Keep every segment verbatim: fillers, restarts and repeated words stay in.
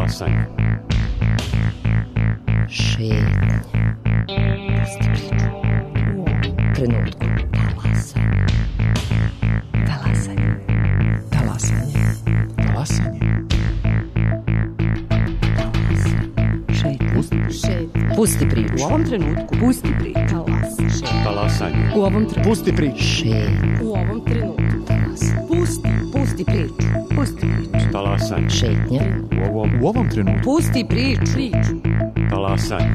Talasanje. Šetnje. Trenutku. Talasanje. Talasanje. Talasanje. Talasanje. Šetnje. Pusti priču. U ovom trenutku. Pusti priču. Talasanje. Talasanje. U ovom trenutku. Pusti priču. Šetnje. U ovom trenutku. Talasanje. Pusti. Pusti priču. Pusti priču. Talasanje. Šetnje. U ovom, u ovom trenutku. Pusti priču. Priču. Talasanje.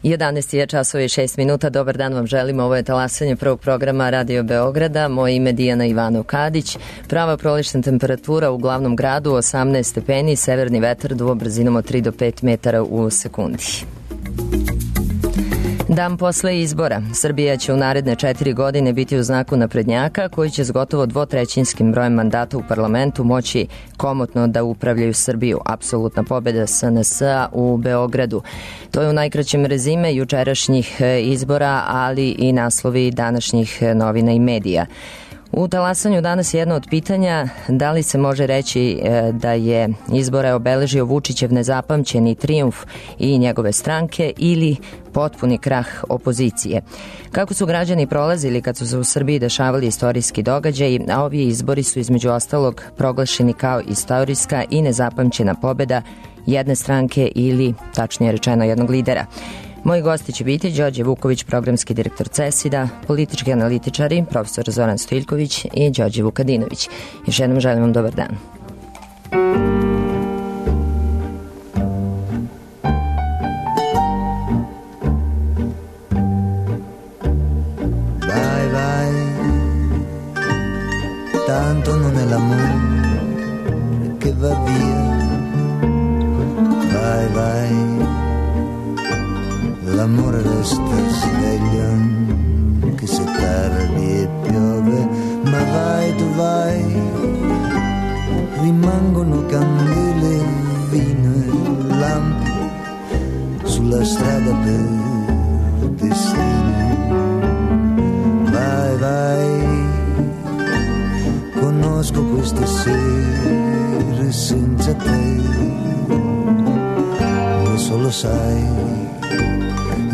jedanaest je časova i šest minuta. Dobar dan vam želimo. Ovo je talasanje prvog programa Radio Beograda. Moje ime je Dijana Ivanov Kadić. Prava prolična temperatura u glavnom gradu osamnaest stepeni, severni vetar duva brzinom od tri do pet metara u sekundi. Dan posle izbora. Srbija će u naredne četiri godine biti u znaku naprednjaka koji će s gotovo dvotrećinskim brojem mandata u parlamentu moći komotno da upravljaju Srbiju. Apsolutna pobeda S N S-a u Beogradu. To je u najkraćem rezime jučerašnjih izbora, ali i naslovi današnjih novina i medija. U talasanju danas je jedno od pitanja da li se može reći da je izbore obeležio Vučićev nezapamćeni trijumf i njegove stranke ili potpuni krah opozicije. Kako su građani prolazili kad su se u Srbiji dešavali istorijski događaji, a ovi izbori su između ostalog proglašeni kao istorijska i nezapamćena pobeda jedne stranke ili, tačnije rečeno, jednog lidera. Moji gosti će biti Đorđe Vuković, programski direktor CESID-a, politički analitičari, profesor Zoran Stojiljković i Đorđe Vukadinović. Još jednom želim vam dobar dan. Vai, vai, tanto non è l'amore che va via. Vai, vai, l'amore resta sveglio anche se tardi e piove, ma vai tu vai, rimangono candele, vino e lampi sulla strada per destino. Vai, vai, conosco queste sere senza te, e solo sai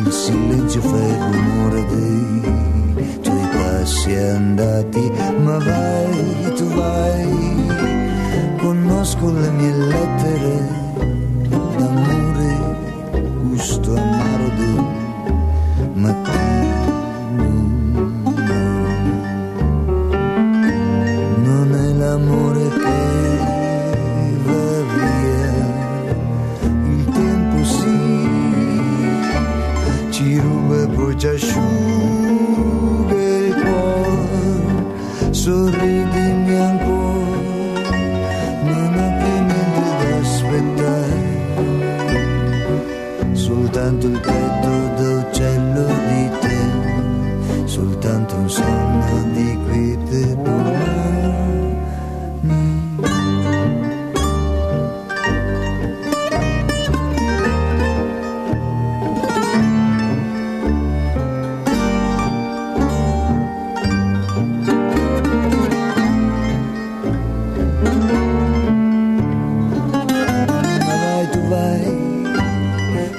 il silenzio fa il rumore dei tuoi passi andati, ma vai, tu vai, conosco le mie lettere d'amore, gusto amaro del mattino, no, non è l'amore che va via, il tempo sì ci ruba e poi ci asciuga il cuore, sorridimi ancora, non ho più niente da aspettare, soltanto il petto d'uccello di te, soltanto un sonno di quiete domani.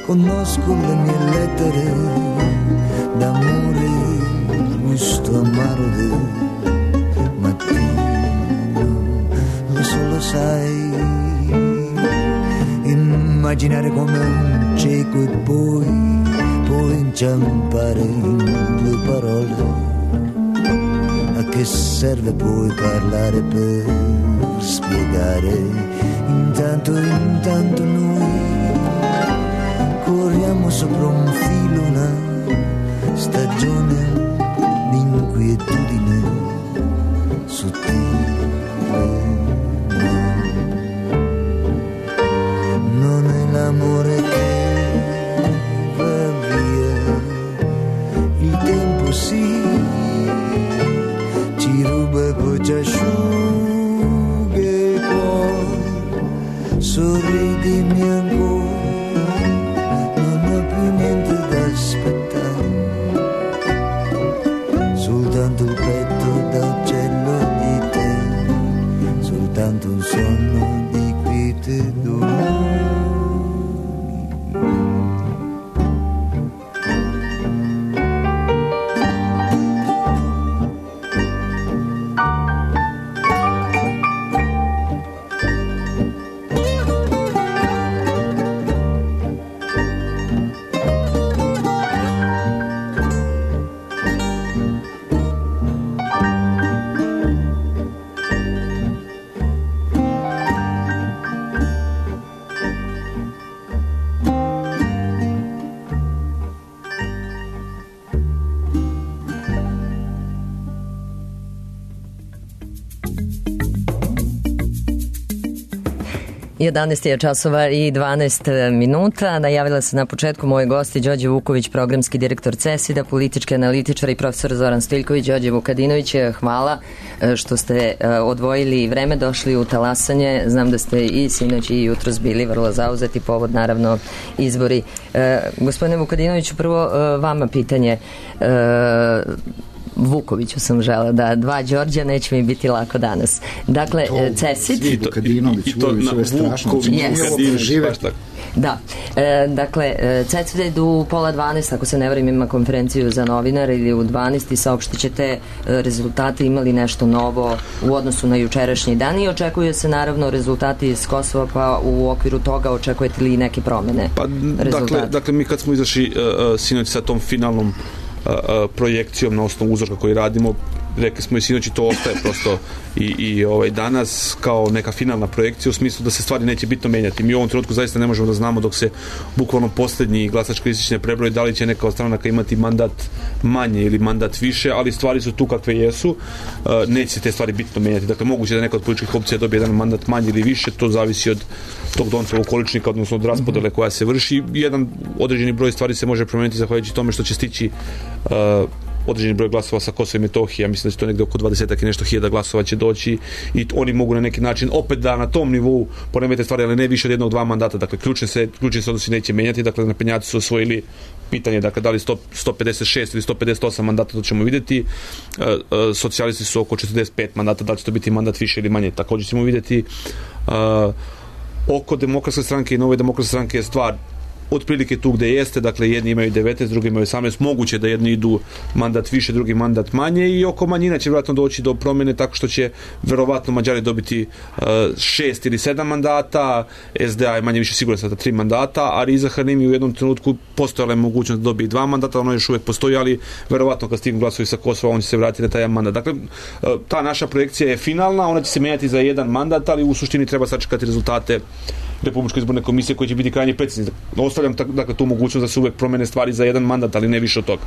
Conosco le mie lettere d'amore, il gusto amaro del mattino, lo solo sai, immaginare come un cieco e poi, poi inciampare in due parole. A che serve poi parlare per spiegare? Intanto, intanto noi corriamo sopra un filo, una stagione di inquietudine sottile. Non è l'amore che va via, soltanto un sonno di quiete domani. jedanaest je časova i dvanaest minuta. Najavila se na početku moje gosti Đorđe Vuković, programski direktor CESID-a, politički analitičar i profesor Zoran Stojiljković. Đorđe Vukadinović, hvala što ste odvojili vreme, došli u talasanje. Znam da ste i sinoć i jutros bili vrlo zauzeti, povod naravno izbori. Gospodine Vukadinoviću, prvo vama pitanje. Vukoviću sam žela da dva Đorđa neće mi biti lako danas. Dakle, CESID Svi Vukadinović, Vuković, ovo je strašno. Yes. Da, e, dakle, CESID u pola dvanaest, ako se ne varam, ima konferenciju za novinare ili u dvanaest i saopštit ćete rezultate, imali nešto novo u odnosu na jučerašnji dan i očekuje se naravno rezultati iz Kosova, pa u okviru toga očekujete li neke promene? Pa, dakle, dakle, mi kad smo izašli uh, sinoć sa tom finalnom Uh, uh, projekcijom na osnovu uzorka koji radimo, rekli smo i sinoć i to ostaje prosto i, i ovaj, danas kao neka finalna projekcija u smislu da se stvari neće bitno menjati. Mi u ovom trenutku zaista ne možemo da znamo dok se bukvalno posljednji glasački listić ne prebroji da li će neka od stranaka imati mandat manje ili mandat više, ali stvari su tu kakve jesu. Uh, neće se te stvari bitno menjati. Dakle, moguće da neka od političkih opcija dobije jedan mandat manje ili više, to zavisi od tog Doncovog količnika, odnosno od raspodele koja se vrši. Jedan određeni broj stvari se može promijeniti zahvaljujući tome što će stići uh, određeni broj glasova sa Kosova i Metohije. Ja mislim da će to negde oko dvadesetak i nešto hiljada glasova će doći i oni mogu na neki način opet da na tom nivou poremete stvari, ali ne više od jednog, dva mandata. Dakle, ključne se, ključne se odnosi neće menjati. Dakle, naprednjaci su osvojili pitanje, dakle, da li sto, sto pedeset šest ili sto pedeset osam mandata, to ćemo vidjeti. Uh, uh, socijalisti su oko četrdeset pet mandata, da li će to biti mandat više ili manje, također ćemo vidjeti. Uh, oko demokratske stranke i nove demokratske stranke je stvar otprilike tu gde jeste, dakle jedni imaju devetnaest, drugi imaju osamnaest, moguće da jedni idu mandat više, drugi mandat manje i oko manjina će vjerojatno doći do promjene tako što će verovatno Mađari dobiti uh, šest ili sedam mandata, S D A je manje više siguran sa tri mandata, a Riza Hanimi u jednom trenutku postojala je mogućnost da dobije dva mandata, ono još uvijek postoji, ali verovatno kad stignu glasovi sa Kosova on će se vratiti na taj mandat. Dakle, uh, ta naša projekcija je finalna, ona će se menjati za jedan mandat, ali u suštini treba sačekati rezultate Republičke izborne komisije koji će biti krajnje precizni. Ostavljam dakle tu mogućnost da se uvek promene stvari za jedan mandat, ali ne više od toga.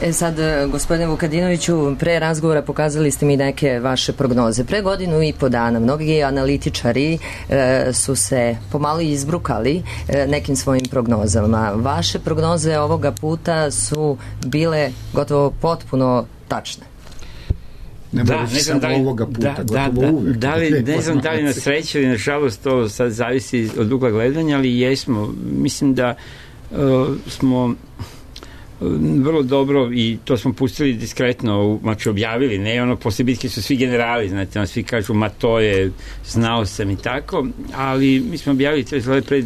E sad, gospodine Vukadinoviću, pre razgovora pokazali ste mi neke vaše prognoze. Pre godinu i po dana mnogi analitičari e, su se pomalo izbrukali e, nekim svojim prognozama. Vaše prognoze ovoga puta su bile gotovo potpuno tačne. Ne da, ne znam da li, ovoga puta, da, da, da, uvek, da li, ne znam da li na sreću ili na žalost, to sad zavisi od ugla gledanja, ali jesmo. Mislim da uh, smo uh, vrlo dobro i to smo pustili diskretno, znači objavili, ne ono, posle bitke su svi generali, znate, ono, svi kažu, ma to je, znao sam i tako, ali mi smo objavili to je pre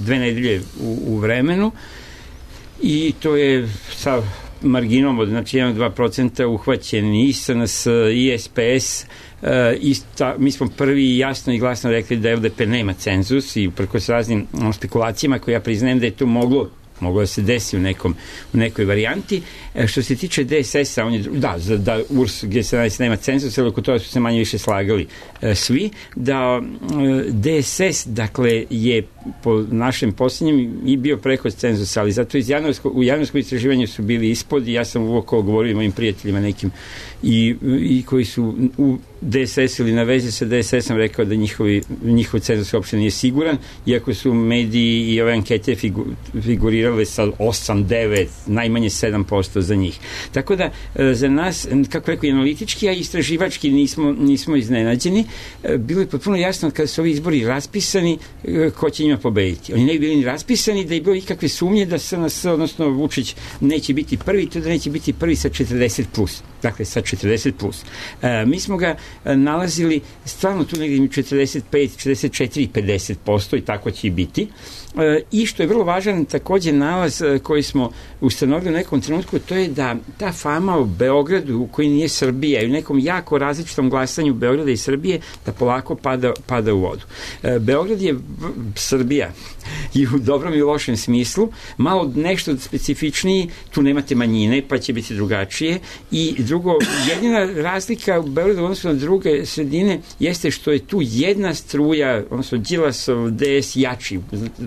dve nedelje u, u vremenu i to je sa marginom od znači jedan do dva procenta uhvaćen i S N S i S P S. Uh, ista, mi smo prvi jasno i glasno rekli da L D P nema cenzus i uprkos raznim um, spekulacijama koje ja priznajem da je to moglo moglo da se desi u, nekom, u nekoj varijanti. E, što se tiče D S S-a, on je, da, da U R S G sedamnaest nema cenzus, ali oko toga su se manje više slagali e, svi, da e, D S S, dakle, je po našem posljednjem i bio preko cenzusa, ali zato iz januarsko, u januarskom istraživanju su bili ispod i ja sam uvijek govorio mojim prijateljima nekim i, i koji su u D S S ili na vezi sa D S S-om rekao da njihovi, njihov cenzus uopšte nije siguran, iako su mediji i ove ankete figu, figurirale sa osam, devet, najmanje sedam posto za njih. Tako da, za nas, kako rekao, analitički, a istraživački nismo, nismo iznenađeni. Bilo je potpuno jasno kada su ovi izbori raspisani, ko će njima pobediti. Oni ne bi bili ni raspisani, da je bilo ikakve sumnje da S N S, odnosno Vučić, neće biti prvi, to da neće biti prvi sa četrdeset plus. Dakle, sa četrdeset plus. E, mi smo ga nalazili stvarno tu negdje četrdeset pet, četrdeset četiri, pedeset posto i tako će i biti. I što je vrlo važan također nalaz koji smo ustanovili u nekom trenutku, to je da ta fama o Beogradu koji nije Srbija i u nekom jako različitom glasanju Beograda i Srbije da polako pada, pada u vodu. Beograd je Srbija i u dobrom i u lošem smislu, malo nešto specifičniji, tu nemate manjine pa će biti drugačije i drugo, jedina razlika u Beogradu odnosno na druge sredine jeste što je tu jedna struja, odnosno Đilasov D S jači,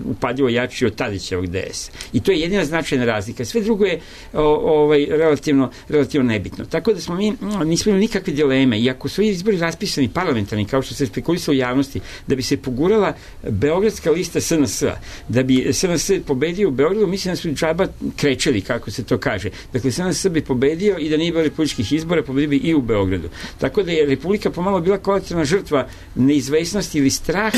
upadljivo jači od Tadićevog D S. I to je jedina značajna razlika. Sve drugo je o, ovaj, relativno, relativno nebitno. Tako da smo mi, nismo imali nikakve dileme. I ako su izbori raspisani parlamentarni, kao što se spekulisalo u javnosti, da bi se pogurala beogradska lista S N S-a, da bi S N S pobedio u Beogradu, mislim da su džaba krečeli, kako se to kaže. Dakle, S N S bi pobedio i da nije bilo republičkih izbora, pobedio bi i u Beogradu. Tako da je Republika pomalo bila kolateralna žrtva neizvesnosti ili straha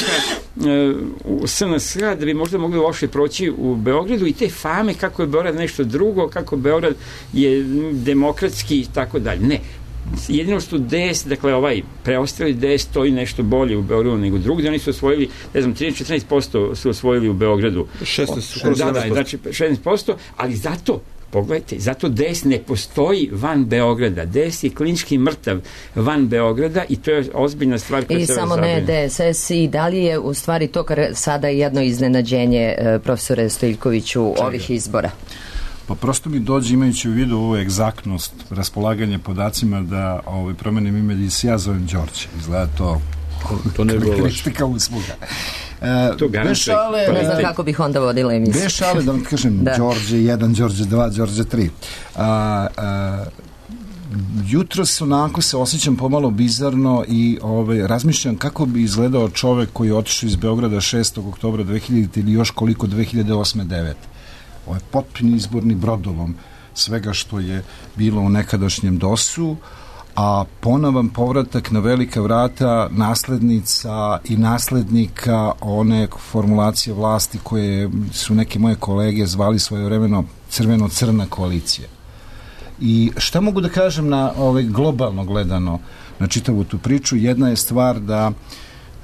u S N S-a da bi možda mogli loše proći u Beogradu i te fame kako je Beograd nešto drugo, kako Beograd je demokratski i tako dalje. Ne. Jedino što D S, dakle ovaj preostali D S stoji nešto bolje u Beogradu nego drugdje, oni su osvojili, ne znam, trinaest do četrnaest posto su osvojili u Beogradu. šesnaest, da, da, znači šesnaest posto, ali zato pogledajte, zato D S ne postoji van Beograda. D S je klinički mrtav van Beograda i to je ozbiljna stvar koja I se samo ne D S S i da li je u stvari to kar sada jedno iznenađenje profesore Stojiljkoviću ovih izbora? Pa prosto mi dođe imajući u vidu ovu egzaktnost raspolaganja podacima da ovaj, promenim ime i se ja zovem Đorđe. Izgleda to to ne bilo kritika usluga. To bez šale, ne znam kako bih onda vodila emisiju. Bez šale, da vam kažem, da. Đorđe jedan, Đorđe dva, Đorđe tri. A, a, jutro se onako se osjećam pomalo bizarno i ovaj, razmišljam kako bi izgledao čovek koji je otišao iz Beograda šestog oktobra dve hiljadite ili još koliko dve hiljade osme devete. Ovo je potpuni izborni brodovom svega što je bilo u nekadašnjem dosu, a ponovan povratak na velika vrata naslednica i naslednika one formulacije vlasti koje su neke moje kolege zvali svojevremeno crveno-crna koalicija. I šta mogu da kažem na ovaj, globalno gledano na čitavu tu priču? Jedna je stvar da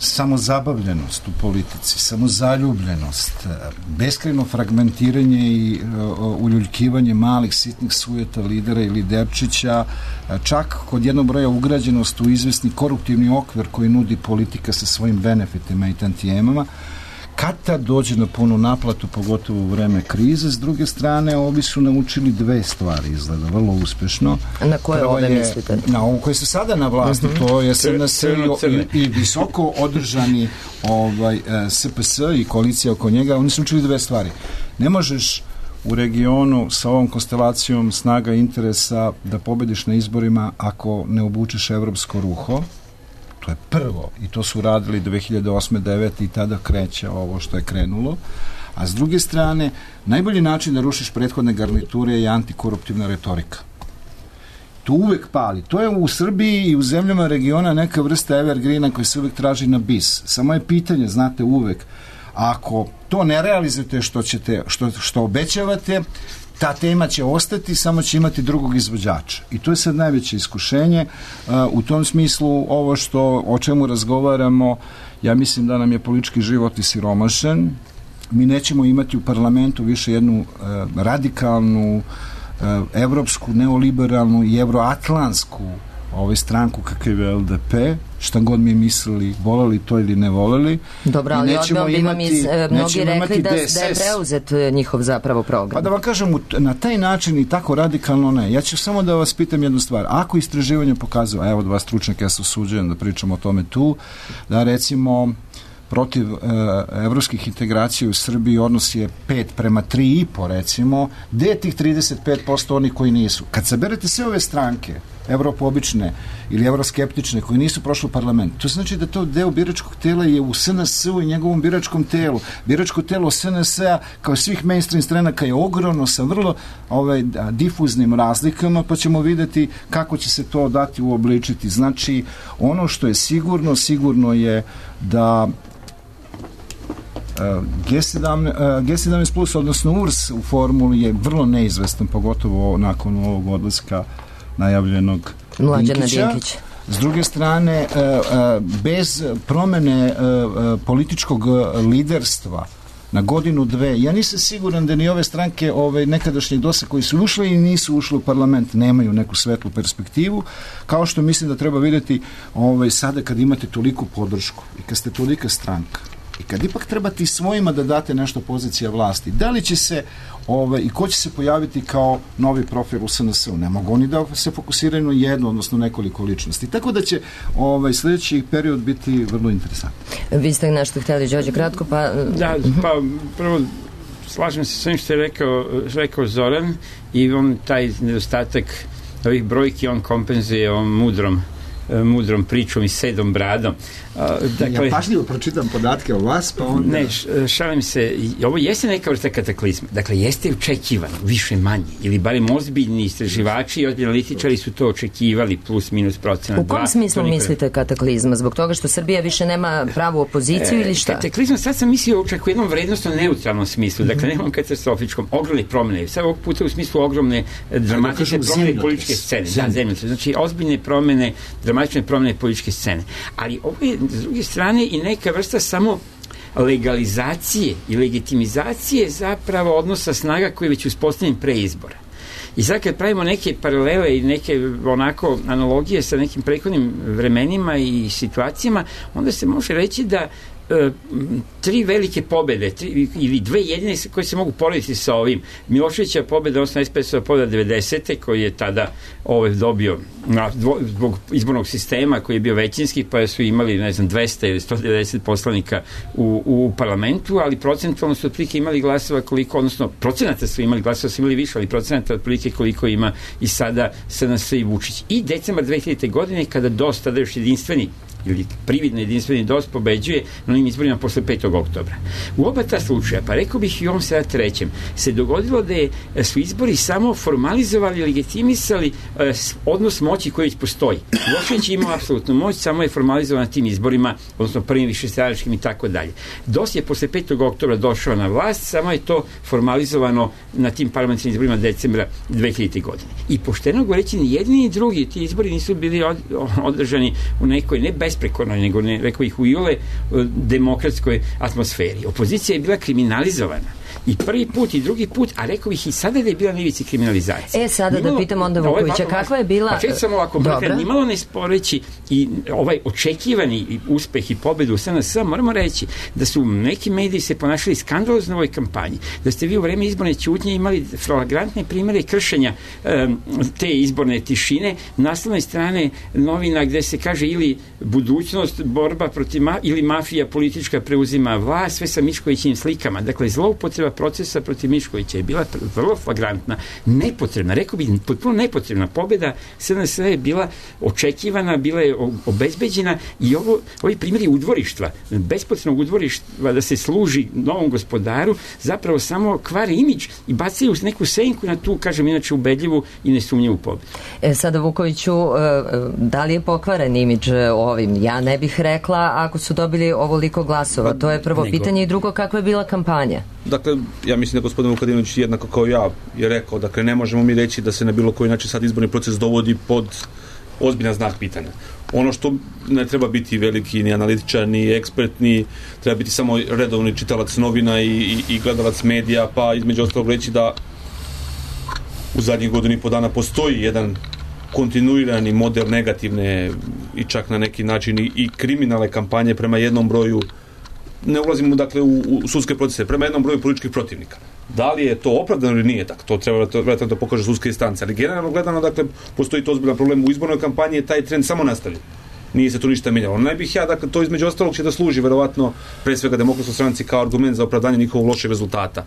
samozabavljenost u politici, samozaljubljenost, beskrajno fragmentiranje i uh, uljuljkivanje malih sitnih sujeta lidera i liderčića, čak kod jednog broja ugrađenost u izvesni koruptivni okvir koji nudi politika sa svojim benefitima i tantijemama, kad tad dođe na punu naplatu, pogotovo u vreme krize. S druge strane, ovi su naučili dve stvari, izgleda, vrlo uspešno. Na koje Prvo ove je, mislite? Na ovo koje su sada na vlasti, uh-huh. to je S N S i, i visoko održani ovaj, S P S i koalicija oko njega. Oni su učili dve stvari. Ne možeš u regionu sa ovom konstelacijom snaga interesa da pobediš na izborima ako ne obučeš evropsko ruho. To je prvo i to su radili dve hiljade osme devete i tada kreće ovo što je krenulo. A s druge strane, najbolji način da rušiš prethodne garniture je antikoruptivna retorika. To uvek pali. To je u Srbiji i u zemljama regiona neka vrsta evergreena koji se uvek traži na bis. Samo je pitanje, znate, uvek, ako to ne realizujete što, ćete, što, što obećavate, ta tema će ostati, samo će imati drugog izvođača. I to je sad najveće iskušenje. Uh, u tom smislu, ovo što, o čemu razgovaramo, ja mislim da nam je politički život isiromašen. Mi nećemo imati u parlamentu više jednu uh, radikalnu, uh, evropsku, neoliberalnu i evroatlansku ovaj stranku kakav je L D P, šta god mi mislili, voleli to ili ne voleli. Dobro, ali odmah bi vam iz, mnogi rekli da, da je preuzet njihov zapravo program. Pa da vam kažem, na taj način i tako radikalno ne. Ja ću samo da vas pitam jednu stvar. Ako istraživanje pokazuje, a evo dva stručnjaka, ja se osuđujem da pričam o tome tu, da recimo protiv e, evropskih integracija u Srbiji odnos je pet prema tri i po recimo, gde je tih trideset pet posto onih koji nisu? Kad saberete sve ove stranke, evropobične ili evroskeptične, koji nisu prošli u parlament, to znači da to deo biračkog tela je u S N S-u i njegovom biračkom telu. Biračko telo S N S-a, kao svih mainstream stranaka, je ogromno sa vrlo ovaj, difuznim razlikama, pa ćemo videti kako će se to dati uobličiti. Znači, ono što je sigurno, sigurno je da G sedamnaest plus, odnosno U R S u formuli je vrlo neizvestan, pogotovo nakon ovog odlaska najavljenog Mlađana Dinkića. S druge strane, bez promene političkog liderstva na godinu, dve, ja nisam siguran da ni ove stranke ove, nekadašnjeg dosa koji su ušli i nisu ušli u parlament nemaju neku svetlu perspektivu, kao što mislim da treba vidjeti ove, sada kad imate toliku podršku i kad ste tolika stranka i kad ipak trebate i svojima da date nešto pozicija vlasti, da li će se Ove, i ko će se pojaviti kao novi profil u S N S-u. Ne mogu oni da se fokusiraju na jednu, odnosno nekoliko ličnosti. Tako da će ovaj, sljedeći period biti vrlo interesantan. Vi ste nešto htjeli, Đorđe, kratko, pa... Da, pa prvo slažem se s svim što je rekao, rekao Zoran i on taj nedostatak ovih brojki on kompenzuje ovom mudrom mudrom pričom i sedom bradom. Dakle, ja pažljivo pročitam podatke o vas, pa onda... Ne, šalim se, ovo jeste neka vrsta kataklizma. Dakle, jeste očekivano, više manje, ili barem ozbiljni istraživači i ozbiljni analitičari su to očekivali, plus minus procenat. U kom smislu mislite kataklizma? Zbog toga što Srbija više nema pravu opoziciju e, ili šta? Kataklizma, sad sam mislio čak u jednom vrednostno neutralnom smislu, dakle, mm-hmm. nemam katastrofičkom, ogromne promjene, sad ovog puta u smislu ogromne dramatične promjene političke scene. Da, zemljotres. Znači, ozbiljne promjene, dramatične promjene političke scene. Ali ovo je s druge strane i neka vrsta samo legalizacije i legitimizacije zapravo odnosa snaga koji je već uspostavljen pre izbora. I sad kad pravimo neke paralele i neke onako analogije sa nekim prethodnim vremenima i situacijama, onda se može reći da e, tri velike pobede tri, ili dve jedine koje se mogu porediti sa ovim. Miloševića pobeda, odnosno S P S-ova pobeda devedesete koji je tada ovaj, dobio na, dvo, zbog izbornog sistema koji je bio većinski, pa su imali ne znam dvesta ili sto devedeset poslanika u, u parlamentu, ali procentualno su otprilike imali glasova koliko, odnosno procenata su imali glasova, su imali više, ali procenata otprilike koliko ima i sada S N S i Vučić. I decembar dve hiljadite. godine kada dosta da još jedinstveni ili prividno jedinstveni D O S pobeđuje na onim izborima posle petog oktobra. U oba ta slučaja, pa rekao bih i ovom sada trećem, se dogodilo da je, su izbori samo formalizovali, legitimisali eh, odnos moći koji već postoji. Milošević je imao apsolutnu moć, samo je formalizovan na tim izborima, odnosno prvim višestranačkim i tako dalje. D O S je posle petog oktobra došao na vlast, samo je to formalizovano na tim parlamentarnim izborima decembra dve hiljadite. godine. I pošteno govoreći, ni jedni ni drugi ti izbori nisu bili od, održani u nekoj ne besprekornoj, nego ne, rekao ih u iole demokratskoj atmosferi. Opozicija je bila kriminalizovana. I prvi put i drugi put, a rekao bih i sada da je bila na ivici kriminalizacije. E, sada nimalo, da pitam onda Vukovića, kakva je bila... Pa čet samo ovako, nimalo ne sporeći i ovaj očekivani uspeh i pobedu u S N S, moramo reći da su neki mediji se ponašali skandalozno u ovoj kampanji, da ste vi u vreme izborne ćutnje imali flagrantne primere kršenja um, te izborne tišine, naslovne strane novina gde se kaže ili budućnost, borba protiv ma, ili mafija politička preuzima vlast, sve sa Miškovićim slikama. Dakle, zloupotreba procesa protiv Miškovića je bila vrlo flagrantna, nepotrebna, rekao bih potpuno nepotrebna pobjeda S N S je bila očekivana, bila je obezbeđena i ovo, ovi primjeri udvorištva, bespotrebnog udvorištva da se služi novom gospodaru, zapravo samo kvare imidž i bacaju neku senku na tu, kažem inače, ubedljivu i nesumnjivu pobjedu. E, sada Vukoviću, da li je pokvaren imidž ovim? Ja ne bih rekla ako su dobili ovoliko glasova. To je prvo nego pitanje i drugo, kakva je bila kampanja? Dakle, ja mislim da gospodin Vukadinović jednako kao ja je rekao, dakle, ne možemo mi reći da se na bilo koji način sad izborni proces dovodi pod ozbiljan znak pitanja. Ono što ne treba biti veliki ni analitičar, ni ekspert, ni treba biti samo redovni čitalac novina i, i, i gledalac medija, pa između ostalog reći da u zadnjih godinu i po dana postoji jedan kontinuirani model negativne i čak na neki način i, i kriminalne kampanje prema jednom broju, ne ulazimo dakle u, u sudske procese, prema jednom broju političkih protivnika. Da li je to opravdano ili nije, tako to treba vratno da pokaže sudske instance, ali generalno gledano, dakle, postoji to ozbiljan problem u izbornoj kampanji, je taj trend samo nastavljen. Nije se to ništa menjalo. Ne bih ja, dakle, to između ostalog će da služi verovatno pre svega Demokratskoj stranci kao argument za opravdanje njihovog lošeg rezultata.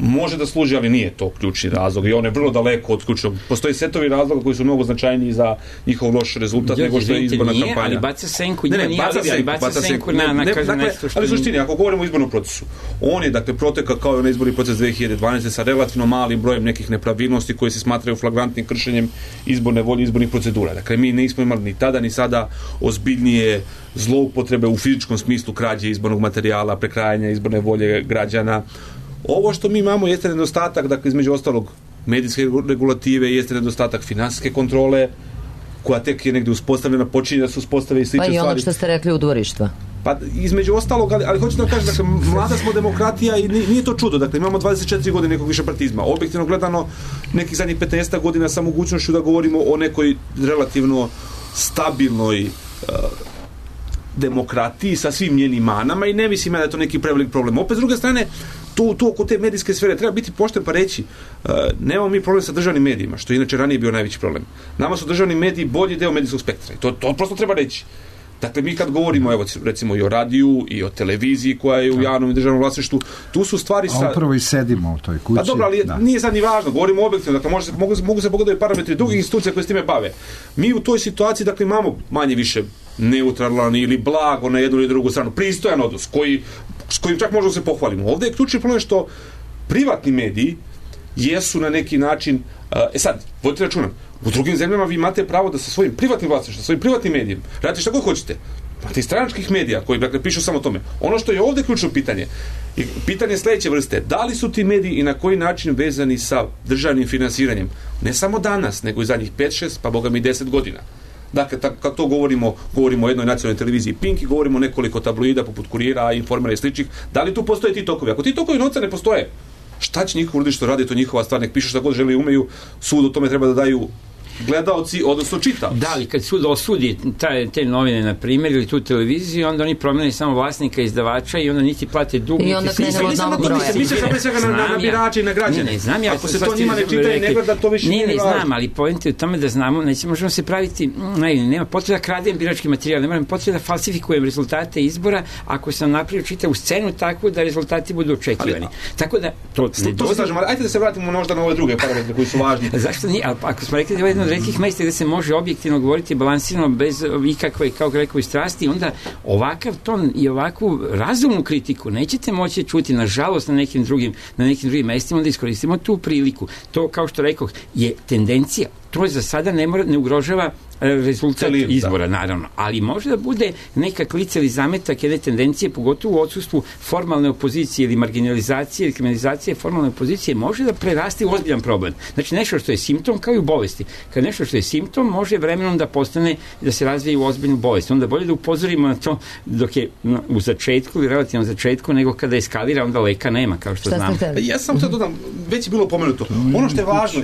Može da služi, ali nije to ključni razlog i on je vrlo daleko od ključnog. Postoji setovi razloga koji su mnogo značajniji za njihov loš rezultat Đorđe, nego što je izborna nije, kampanja. Ali baca senku, ne, ne, nije baca senku, baca, baca senku na, na, kaže dakle, nešto što... Ali suštini, ako govorimo o izbornom procesu, on je, dakle, proteka kao i onaj izborni proces dve hiljade dvanaeste. sa relativno malim brojem nekih nepravilnosti koje se smatraju flagrantnim kršenjem izborne volje, izbornih procedura. Dakle, mi nismo imali ni tada, ni sada ozbiljnije zloupotrebe u fizičkom smislu krađe izbornog materijala, prekrajanja izborne volje građana. Ovo što mi imamo jeste nedostatak, dakle, između ostalog medijske regulative, jeste nedostatak finansijske kontrole koja tek je negde uspostavljena, počinje da se uspostave i slične stvari. Pa i ono što ste rekli u dvorištva. Pa između ostalog, ali, ali hoću da kažem, dakle, mlada smo demokratija i nije to čudo, dakle, imamo dvadeset četiri godine nekog višepartizma. Objektivno gledano, nekih zadnjih petnaest godina sa mogućnošću da govorimo o nekoj relativno stabilnoj uh, demokratiji sa svim njenim manama i ne mislim ja da je to neki prevelik problem. Opet, s druge strane, tu, tu oko te medijske sfere treba biti pošten pa reći, uh, nemamo mi problem sa državnim medijima, što je inače ranije bio najveći problem. Nama su državni mediji bolji deo medijskog spektra i to, to prosto treba reći. Dakle, mi kad govorimo, evo, recimo i o radiju i o televiziji koja je u javnom i državnom vlasništvu, tu su stvari... A upravo i sedimo u toj kući. Pa dobro, ali da. Nije sad ni važno, govorimo objektivno, dakle, može se, mogu, mogu se pogledati parametri drugih institucija koje s time bave. Mi u toj situaciji, dakle, imamo manje više neutralan ili blago na jednu ili drugu stranu, pristojan odnos, koji, s kojim čak možemo se pohvalimo. Ovde je ključni problem što privatni mediji jesu na neki način... E sad, vodite računa, u drugim zemljama vi imate pravo da sa svojim privatnim vlasništvom, sa svojim privatnim medijem radite šta god hoćete. Imate i stranačkih medija koji, dakle, pišu samo o tome. Ono što je ovde ključno pitanje, i pitanje sledeće vrste, da li su ti mediji i na koji način vezani sa državnim finansiranjem? Ne samo danas, nego i zadnjih pet šest, pa boga mi deset godina. Dakle, tak, kako to govorimo, govorimo o jednoj nacionalnoj televiziji Pink i govorimo o nekoliko tabloida poput Kurira, Informera i sličnih. Da li tu postoje ti tokovi? Ako ti tokovi novca ne postoje, šta će njihov uradi što radi, to njihova stvar, nek pišu šta god žele i umeju, sud o tome treba da daju gledaoci, odnosno čitaoci. Da, ali kad sud osudi taj, te novine, na primjer, ili tu televiziju, onda oni promene samo vlasnika, izdavača i onda niti plate dug. I onda krenemo od novog broja. Mi se pre svega na, na birače i na građane. Ne, ne, znam ja. Ako se to njima ne čita i ne gleda, to više nije važno. Ne, ne, znam, ali point je u tome da znamo, neće, možemo se praviti, ne, nema potreba da kradem birački materijal, nema potreba da falsifikujem rezultate izbora ako sam napravio čitavu scenu tako da rezultati budu očekivani. Tako da, to ne to se slažem, ali ajde da se vratimo možda na ove druge parametre koji su važni. Zašto nije? Ali ako smo rekli da je jedno od retkih mesta gde se može objektivno govoriti balansirano bez ikakve, kao rekao, strasti, onda ovakav ton i ovakvu razumnu kritiku nećete moći čuti, nažalost, na nekim drugim, na nekim drugim mestima, onda iskoristimo tu priliku. To, kao što rekao, je tendencija. To za sada ne, mora, ne ugrožava rezultat Celim, izbora, da. Naravno. Ali može da bude neka klica ili zametak jedne tendencije, pogotovo u odsustvu formalne opozicije ili marginalizacije ili kriminalizacije formalne opozicije, može da prerasti u ozbiljan problem. Znači, nešto što je simptom, kao i u bolesti. Kad nešto što je simptom, može vremenom da postane, da se razvije u ozbiljnu bolest. Onda bolje da upozorimo na to dok je no, u začetku ili relativnom začetku, nego kada eskalira, onda leka nema, kao što znamo. Ja sam to dodam, već je bilo pomenuto. Ono što je važno,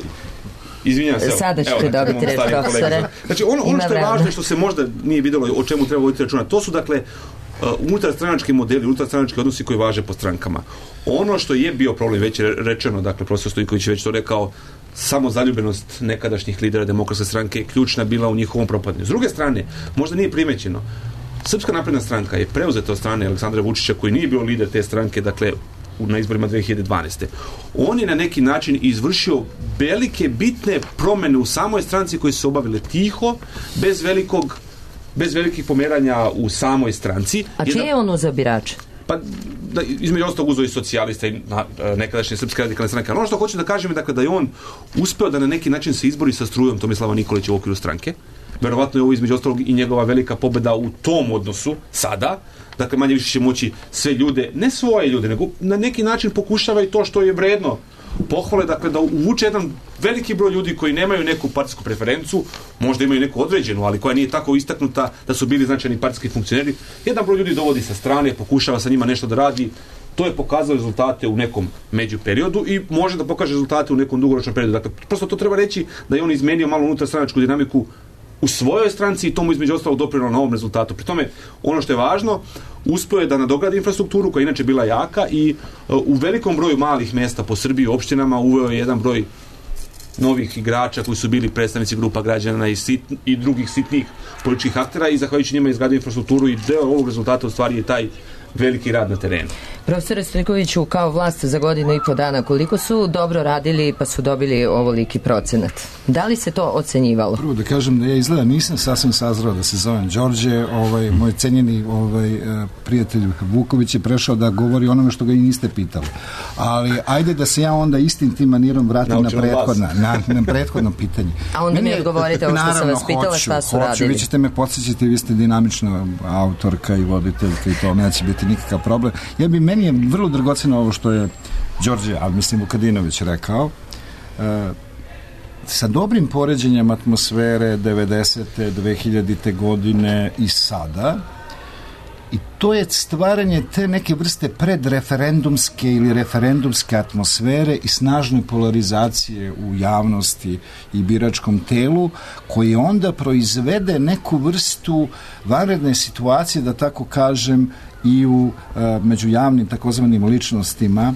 izvinjam se. Sada ćete dobiti reč, profesore. Znači, ono, ono što je važno, što se možda nije videlo o čemu treba voditi računa, to su, dakle, uh, unutarstranački modeli, unutarstranački odnosi koji važe po strankama. Ono što je bio problem, već je rečeno, dakle, profesor Stojković je već to rekao, samo zaljubljenost nekadašnjih lidera Demokratske stranke je ključna bila u njihovom propadanju. S druge strane, možda nije primećeno, Srpska napredna stranka je preuzeta od strane Aleksandra Vučića, koji nije bio lider te stranke, dakle, na izborima dve hiljade dvanaeste. On je na neki način izvršio velike, bitne promene u samoj stranci koje su se obavile tiho, bez velikog bez velikih pomeranja u samoj stranci. A čije je on uzeo birače? Pa, da, između ostalog uzeo i socijalista i na, nekadašnje Srpske radikalne stranke. Ali ono što hoću da kažem je, dakle, da je on uspeo da na neki način se izbori sa strujom Tomislava Nikolića u okviru stranke. Verovatno je ovo između ostalog i njegova velika pobeda u tom odnosu sada. Dakle, manje više će moći sve ljude, ne svoje ljude, nego na neki način pokušava i to što je vredno pohvale, dakle, da uvuče jedan veliki broj ljudi koji nemaju neku partijsku preferencu, možda imaju neku određenu, ali koja nije tako istaknuta da su bili značajni partijski funkcioneri. Jedan broj ljudi dovodi sa strane, pokušava sa njima nešto da radi. To je pokazalo rezultate u nekom među periodu i može da pokaže rezultate u nekom dugoročnom periodu. Dakle, prosto to treba reći da je on izmenio malo unutar stranačku dinamiku u svojoj stranci i tomu između ostalog doprinelo na ovom rezultatu. Pri tome, ono što je važno, uspeo je da nadogradi infrastrukturu koja je inače bila jaka i uh, u velikom broju malih mesta po Srbiji, opštinama, uveo je jedan broj novih igrača koji su bili predstavnici grupa građana i, sit, i drugih sitnih političkih aktera i zahvaljujući njima izgradio infrastrukturu i deo ovog rezultata u stvari je taj veliki rad na terenu. Profesore Stojkoviću, kao vlast za godinu i po dana, koliko su dobro radili pa su dobili ovoliki procenat? Da li se to ocenjivalo? Prvo da kažem da ja izgleda nisam sasvim sazrao da se zovem Đorđe, ovaj, moj cenjeni ovaj, prijatelj Vuković je prešao da govori onome što ga i niste pitali. Ali ajde da se ja onda istim tim manirom vratim na prethodno, na, na prethodno pitanje. A onda mi odgovorite ovo što sam vas pitala, šta su hoću, radili. Vi ćete me podsjećati, vi ste dinamična autorka i voditeljka i to neće biti nikakav problem. Ja bi, meni je vrlo dragoceno ovo što je Đorđe, ali mislim Vukadinović rekao. E, sa dobrim poređenjem atmosfere devedesete, dve hiljadite godine i sada, i to je stvaranje te neke vrste predreferendumske ili referendumske atmosfere i snažne polarizacije u javnosti i biračkom telu, koji onda proizvede neku vrstu vanredne situacije, da tako kažem, i u među javnim takozvanim ličnostima.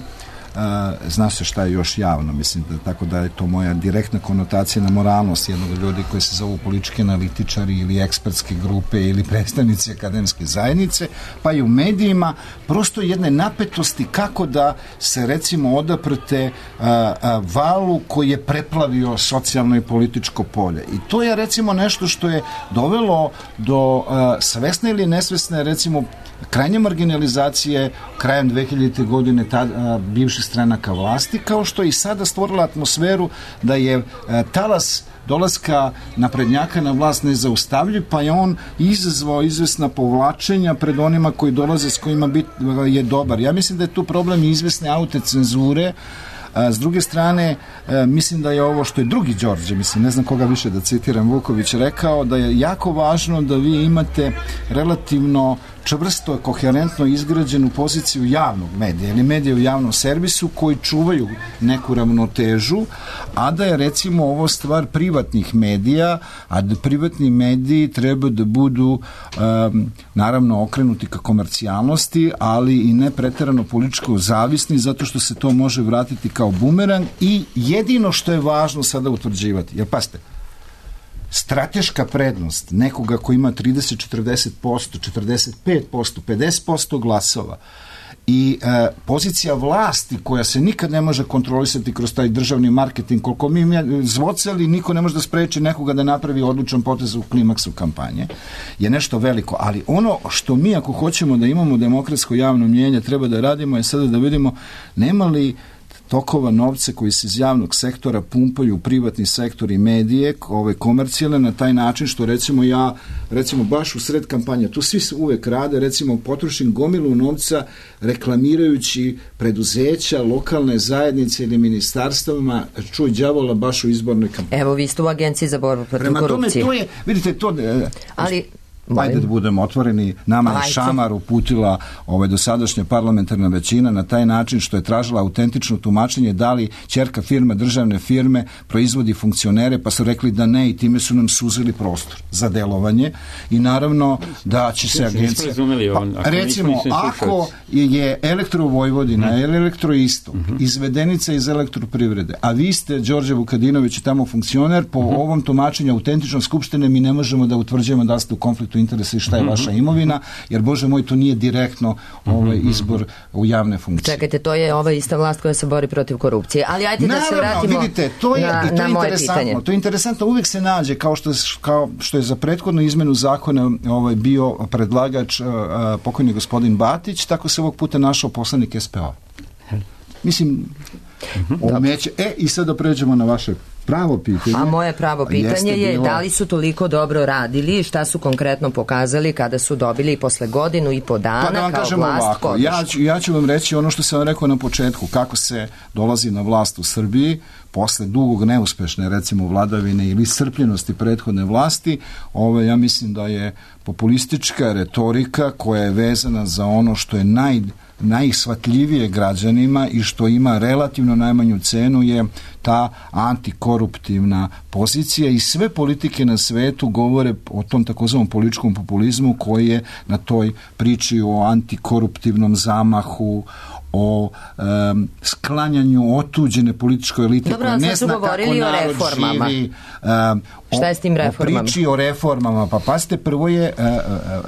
Zna se šta je još javno, mislim da tako da je to moja direktna konotacija na moralnost jednog ljudi koji se zovu politički analitičari ili ekspertske grupe ili predstavnici akademske zajednice, pa i u medijima, prosto jedne napetosti kako da se recimo odaprte a, a, valu koji je preplavio socijalno i političko polje. I to je recimo nešto što je dovelo do a, svesne ili nesvesne recimo krajnje marginalizacije krajem dve hiljadite godine tada bivših stranaka vlasti, kao što je i sada stvorila atmosferu da je a, talas dolaska naprednjaka na vlast nezaustavljiv, pa je on izazvao izvesna povlačenja pred onima koji dolaze, s kojima bit, je dobar. Ja mislim da je tu problem izvesne autocenzure. A, s druge strane, a, mislim da je ovo što je drugi Đorđe, mislim, ne znam koga više da citiram, Vuković rekao, da je jako važno da vi imate relativno čvrsto, koherentno izgrađenu poziciju javnog medija ili medija u javnom servisu koji čuvaju neku ravnotežu, a da je recimo ovo stvar privatnih medija, a da privatni mediji treba da budu um, naravno okrenuti ka komercijalnosti, ali i ne preterano političko zavisni, zato što se to može vratiti kao bumerang. I jedino što je važno sada utvrđivati, jer pasite, strateška prednost nekoga ko ima trideset do četrdeset posto, četrdeset pet posto, pedeset posto glasova i e, pozicija vlasti koja se nikad ne može kontrolisati kroz taj državni marketing, koliko mi zvocali, niko ne može da spreči nekoga da napravi odlučan potez u klimaksu kampanje, je nešto veliko. Ali ono što mi, ako hoćemo da imamo demokratsko javno mnijenje, treba da radimo je sada da vidimo nema li tokova novca koji se iz javnog sektora pumpaju u privatni sektor i medije, ove komercijalne, na taj način što recimo ja, recimo baš u sred kampanje, tu svi se uvek rade, recimo potrošim gomilu novca reklamirajući preduzeća, lokalne zajednice ili ministarstvama, čuj đavola baš u izbornoj kampanji. Evo, vi ste u Agenciji za borbu protiv korupcije. Prema tome, to je, vidite, to... Ali... Ajde da budemo otvoreni, nama je šamar uputila ovaj dosadašnja parlamentarna većina na taj način što je tražila autentično tumačenje da li ćerka firma državne firme proizvodi funkcionere, pa su rekli da ne i time su nam suzili prostor za delovanje i naravno da će se agencija... Pa, recimo, ako je Elektro Vojvodina ili Elektro Istok izvedenica iz elektroprivrede, a vi ste, Đorđe Vukadinović, tamo funkcioner, po ovom tumačenju autentičnog skupštine mi ne možemo da utvrđujemo da ste u konfliktu interesa i šta je vaša imovina, jer Bože moj, to nije direktno ovaj izbor u javne funkcije. Čekajte, to je ova ista vlast koja se bori protiv korupcije. Ali ajde da se vratimo vidite, to je, na, i to na je moje pitanje. To je interesantno, uvijek se nađe, kao što, kao što je za prethodnu izmenu zakona ovaj, bio predlagač uh, pokojni gospodin Batić, tako se ovog puta našao poslanik S P O. Mislim, omeće. E, i sad da pređemo na vaše pravo pitanje. A moje pravo pitanje je bilo... da li su toliko dobro radili, šta su konkretno pokazali kada su dobili posle godinu i po dana pa da vam kao vlast ovako, ja ću, ja ću vam reći ono što sam vam rekao na početku, kako se dolazi na vlast u Srbiji posle dugog neuspešne recimo vladavine ili iscrpljenosti prethodne vlasti. Ovo, ja mislim da je populistička retorika koja je vezana za ono što je naj najshvatljivije građanima i što ima relativno najmanju cenu je ta antikoruptivna pozicija i sve politike na svetu govore o tom takozvanom političkom populizmu koji je na toj priči o antikoruptivnom zamahu, o um, sklanjanju otuđene političkoj elite koja ne zna kako narod živi. Um, šta je s tim reformama? O priči o reformama. Pa pasite, prvo je uh, uh,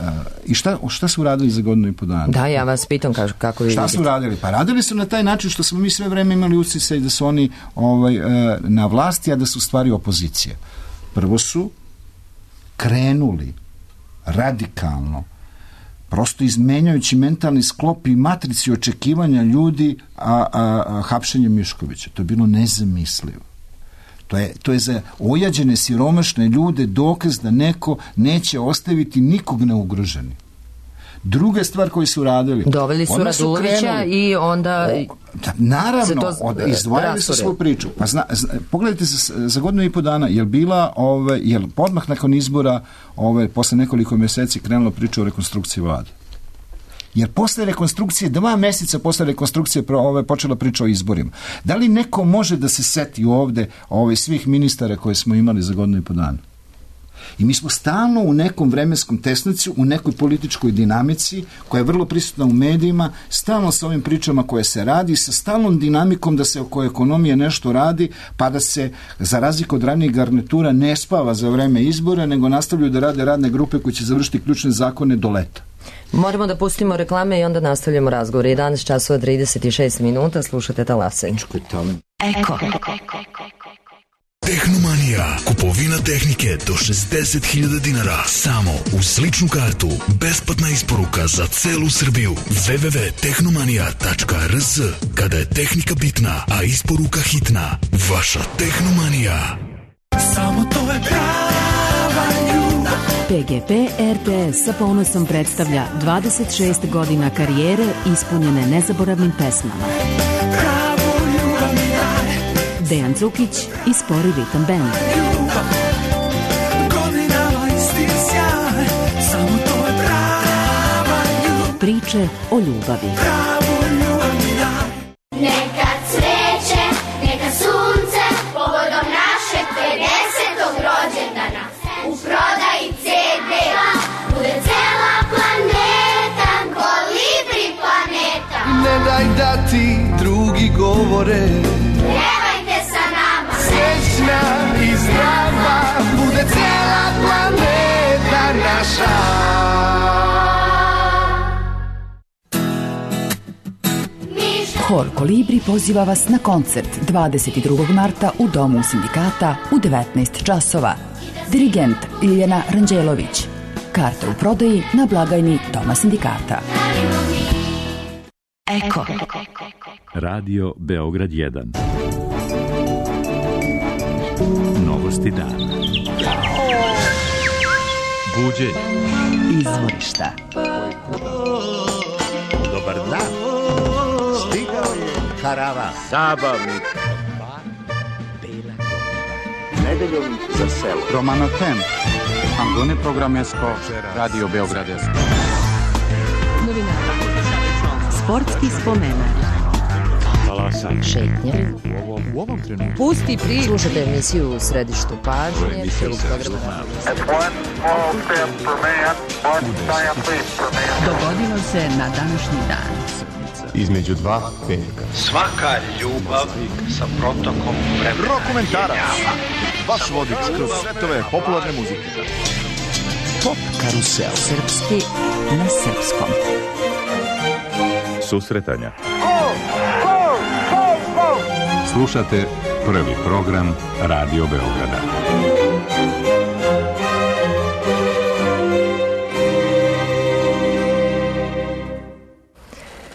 uh, i šta, šta su radili za godinu i po dana? Da, ja vas pitam kako, kako vi šta vidite. Su radili? Pa radili su na taj način što smo mi sve vreme imali usisaj da su oni ovaj, uh, na vlasti, a da su stvari opozicije. Prvo su krenuli radikalno prosto izmenjajući mentalni sklop i matrici očekivanja ljudi a, a, a hapšenje Miškovića. To je bilo nezamislivo. To je, to je za ojađene siromašne ljude dokaz da neko neće ostaviti nikog neugroženi. Druga stvar koju su radili... Doveli su Radulovića i onda... O, da, naravno, od, izdvajali su svoju priču. Pa zna, zna, pogledajte za, za godinu i po dana, je li bila, ove, je li odmah nakon izbora, ove, posle nekoliko mjeseci krenula priča o rekonstrukciji vlade? Jer posle rekonstrukcije, dva mjeseca posle rekonstrukcije ove, počela priča o izborima. Da li neko može da se seti ovde ove, svih ministara koje smo imali za godinu i po dana? I mi smo stalno u nekom vremenskom tesnicu, u nekoj političkoj dinamici koja je vrlo prisutna u medijima, stalno sa ovim pričama koje se radi, sa stalnom dinamikom da se oko ekonomije nešto radi, pa da se za razliku od ranijih garnitura ne spava za vreme izbora, nego nastavljaju da rade radne grupe koje će završiti ključne zakone do leta. Moramo da pustimo reklame i onda nastavljamo razgovor. jedanaest časova trideset šest minuta, slušate Talasanje. Eko. Tehnomanija. Kupovina tehnike do šezdeset hiljada dinara. Samo uz ličnu kartu. Besplatna isporuka za celu Srbiju. w w w tačka tehnomanija tačka r z. Kada je tehnika bitna, a isporuka hitna. Vaša Tehnomanija. Samo to je prava ljubav. P G P R T S sa ponosom predstavlja dvadeset šest godina karijere ispunjene nezaboravnim pesmama. Dejan Cukić i Spori ritam band. Priče o ljubavi. Neka cveće, neka sunce, povodom našeg pedesetog rođendana. U prodaji ce de bude cela planeta, Kolibri planeta. Ne daj da ti drugi govore, i zdrava bude cijela planeta naša. Hor Kolibri poziva vas na koncert dvadeset drugog marta u Domu sindikata u devetnaest časova. Dirigent Ljiljana Ranđelović. Karte u prodaji na blagajni Doma sindikata. Eko. Radio Beograd jedan. Novosti dana. Buđenje. Izvorišta. Dobar dan. Stigao je karavan. Zabavnik. Nedeljom za selo. Romano Tem. Angone programesko. Radio Beograd. Novinara. Sportski spomenak. Šetnje. U ovom, u ovom trenutku. Pusti priču. Slušate emisiju u središtu pažnje. Dogodilo se na današnji dan. Između dva petka. Svaka ljubav sa protokom vremena. Rokomentarac. Vaš vodič kroz svetove popularne muzike. Pop karusel. Srpski na srpskom. Susretanja. Slušate prvi program Radio Beograda.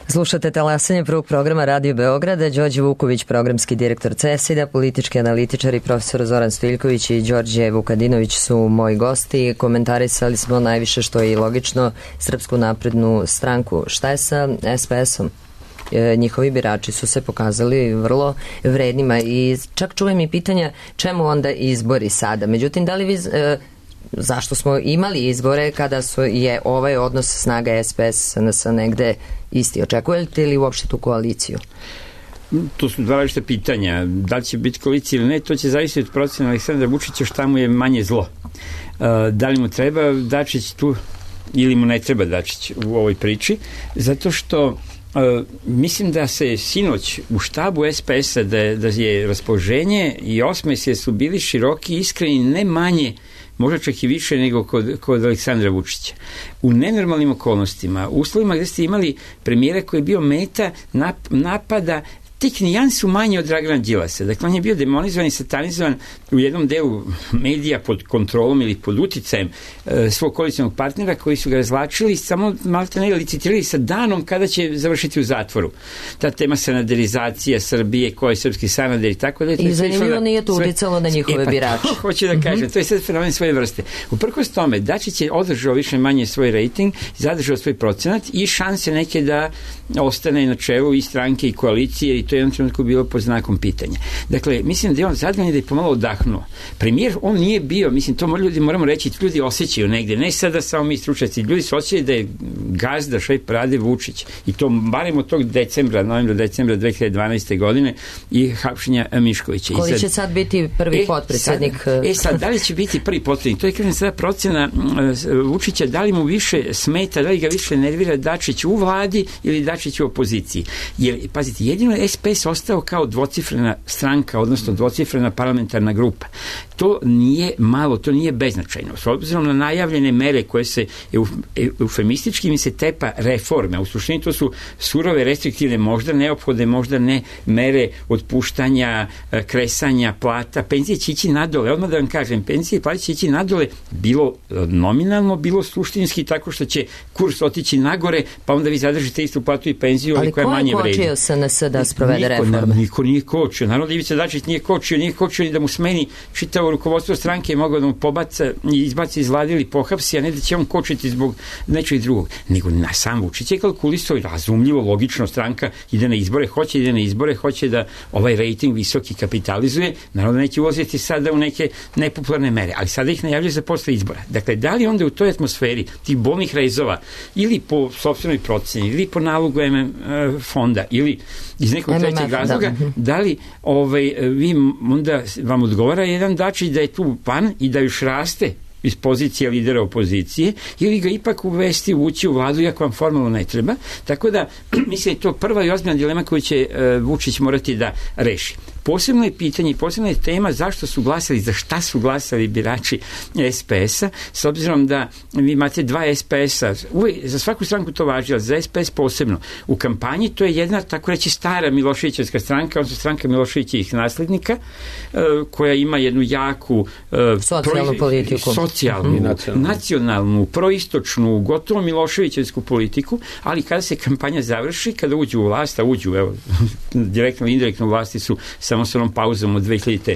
Slušate Talasanje prvog programa Radio Beograda. Đorđe Vuković, programski direktor CESID-a, politički analitičar i profesor Zoran Stojiljković i Đorđe Vukadinović su moji gosti. Komentarisali smo najviše, što je i logično, Srpsku naprednu stranku. Šta je sa es pe esom? Njihovi birači su se pokazali vrlo vrednima i čak čujem i pitanja čemu onda izbori sada. Međutim, da li vi, e, zašto smo imali izbore kada su, je ovaj odnos snaga es pe es es en es negde isti? Očekujete li uopšte tu koaliciju? To su dva različita pitanja. Da li će biti koalicija ili ne, to će zavisiti od procena Aleksandra Vučića šta mu je manje zlo. E, da li mu treba Dačić tu ili mu ne treba Dačić u ovoj priči, zato što Uh, mislim da se sinoć u štabu es pe es-a da, da je raspoloženje i osmesi su bili široki i iskreni, ne manje, možda čak i više nego kod, kod Aleksandra Vučića. U nenormalnim okolnostima, uslovima gde ste imali premijera koji je bio meta nap, napada tek nijansu manje od Dragana Đilasa. Dakle, on je bio demonizovan i satanizovan u jednom delu medija pod kontrolom ili pod uticajem e, svog koalicionog partnera koji su ga razvlačili, samo malo te ne licitirali sa danom kada će završiti u zatvoru. Ta tema sanaderizacija Srbije, ko je srpski sanader i tako da... I zanimljivo nije to uticalo na njihove e, pa, birače. To, hoću da kažem, mm-hmm. to je sad fenomen svoje vrste. Uprkos tome, Dačić je održao više manje svoj rejting, zadržao svoj procenat i šanse neke da ostane na čelu i stranke i koalicije i to je jednom trenutku bilo pod znakom pitanja. Dakle, mislim da je on zadovoljan da je pomalo odahnuo. Premijer, on nije bio, mislim, to ljudi moramo reći, ljudi osjećaju negde, ne sada samo mi stručnjaci, ljudi su osjećali da je gazda šef parade Vučić i to barem od tog decembra, novembra, decembra dve hiljade dvanaeste godine i hapšenja Miškovića. Koji sad, će sad biti prvi e, potpredsjednik? Sad, e sad, da li će biti prvi potpredsjednik? To je kažem sada procena uh, Vučića, da li mu više smeta, da li ga više nervira Dačić u vladi ili Dačić u opoziciji. Jer, pazite, jedino je S P S ostao kao dvocifrena stranka, odnosno dvocifrena parlamentarna grupa. To nije malo, to nije beznačajno. S obzirom na najavljene mere koje se eufemistički mi se tepa reforme, u suštini to su surove, restriktivne, možda neophodne, možda ne mere otpuštanja, kresanja plata, penzije će ići nadole, odmah da vam kažem, penzije i plate će ići nadole, bilo nominalno, bilo suštinski, tako što će kurs otići nagore, pa onda vi zadržite istu platu i penziju, ali koja manje vredi. Ali ko je kočio S N S da sprovede niko, reforme? Niko nije kočio. Naravno da Ivica Dačić nije kočio, nije kočio ni da mu smeni čitavo rukovodstvo stranke, mogao da mu pobaca i izbaci iz vlade ili pohapsi, a ne da će on kočiti zbog nečeg drugog. Nego na sam Vučić je kalkulisao i razumljivo, logično, stranka ide na izbore, hoće ide na izbore, hoće da ovaj rejting visoki kapitalizuje, naravno da neće ulaziti sada u neke nepopularne mere, ali sada ih najavljaju za posle izbora. Dakle, da li onda u toj atmosferi tih bolnih rezova ili po sopstvenoj proceni, ili po nalogu M M fonda, ili iz nekog trećeg razloga, da, da li ovaj, vi onda vam odgovara jedan Dačić da je tu pan i da još raste iz pozicije lidera opozicije, ili ga ipak uvesti, ući u vladu, iako vam formalno ne treba. Tako da, mislim, je to prva i ozbiljna dilema koju će uh, Vučić morati da reši. Posebno je pitanje i posebna je tema zašto su glasali, za šta su glasali birači S P S-a, s obzirom da vi imate dva S P S-a, uvijek, za svaku stranku to važi, ali za S P S posebno. U kampanji to je jedna, tako reći, stara Miloševićevska stranka, odnosno stranka Miloševićevih naslednika, uh, koja ima jednu jaku uh, socijalnu proiz... politiku. Socijalnu, mm-hmm. nacionalnu. nacionalnu, proistočnu, gotovo Miloševićevsku politiku, ali kada se kampanja završi, kada uđu u vlast, a uđu, evo, direktno i indirektno u vlasti su samo s onom pauzom od dve hiljadite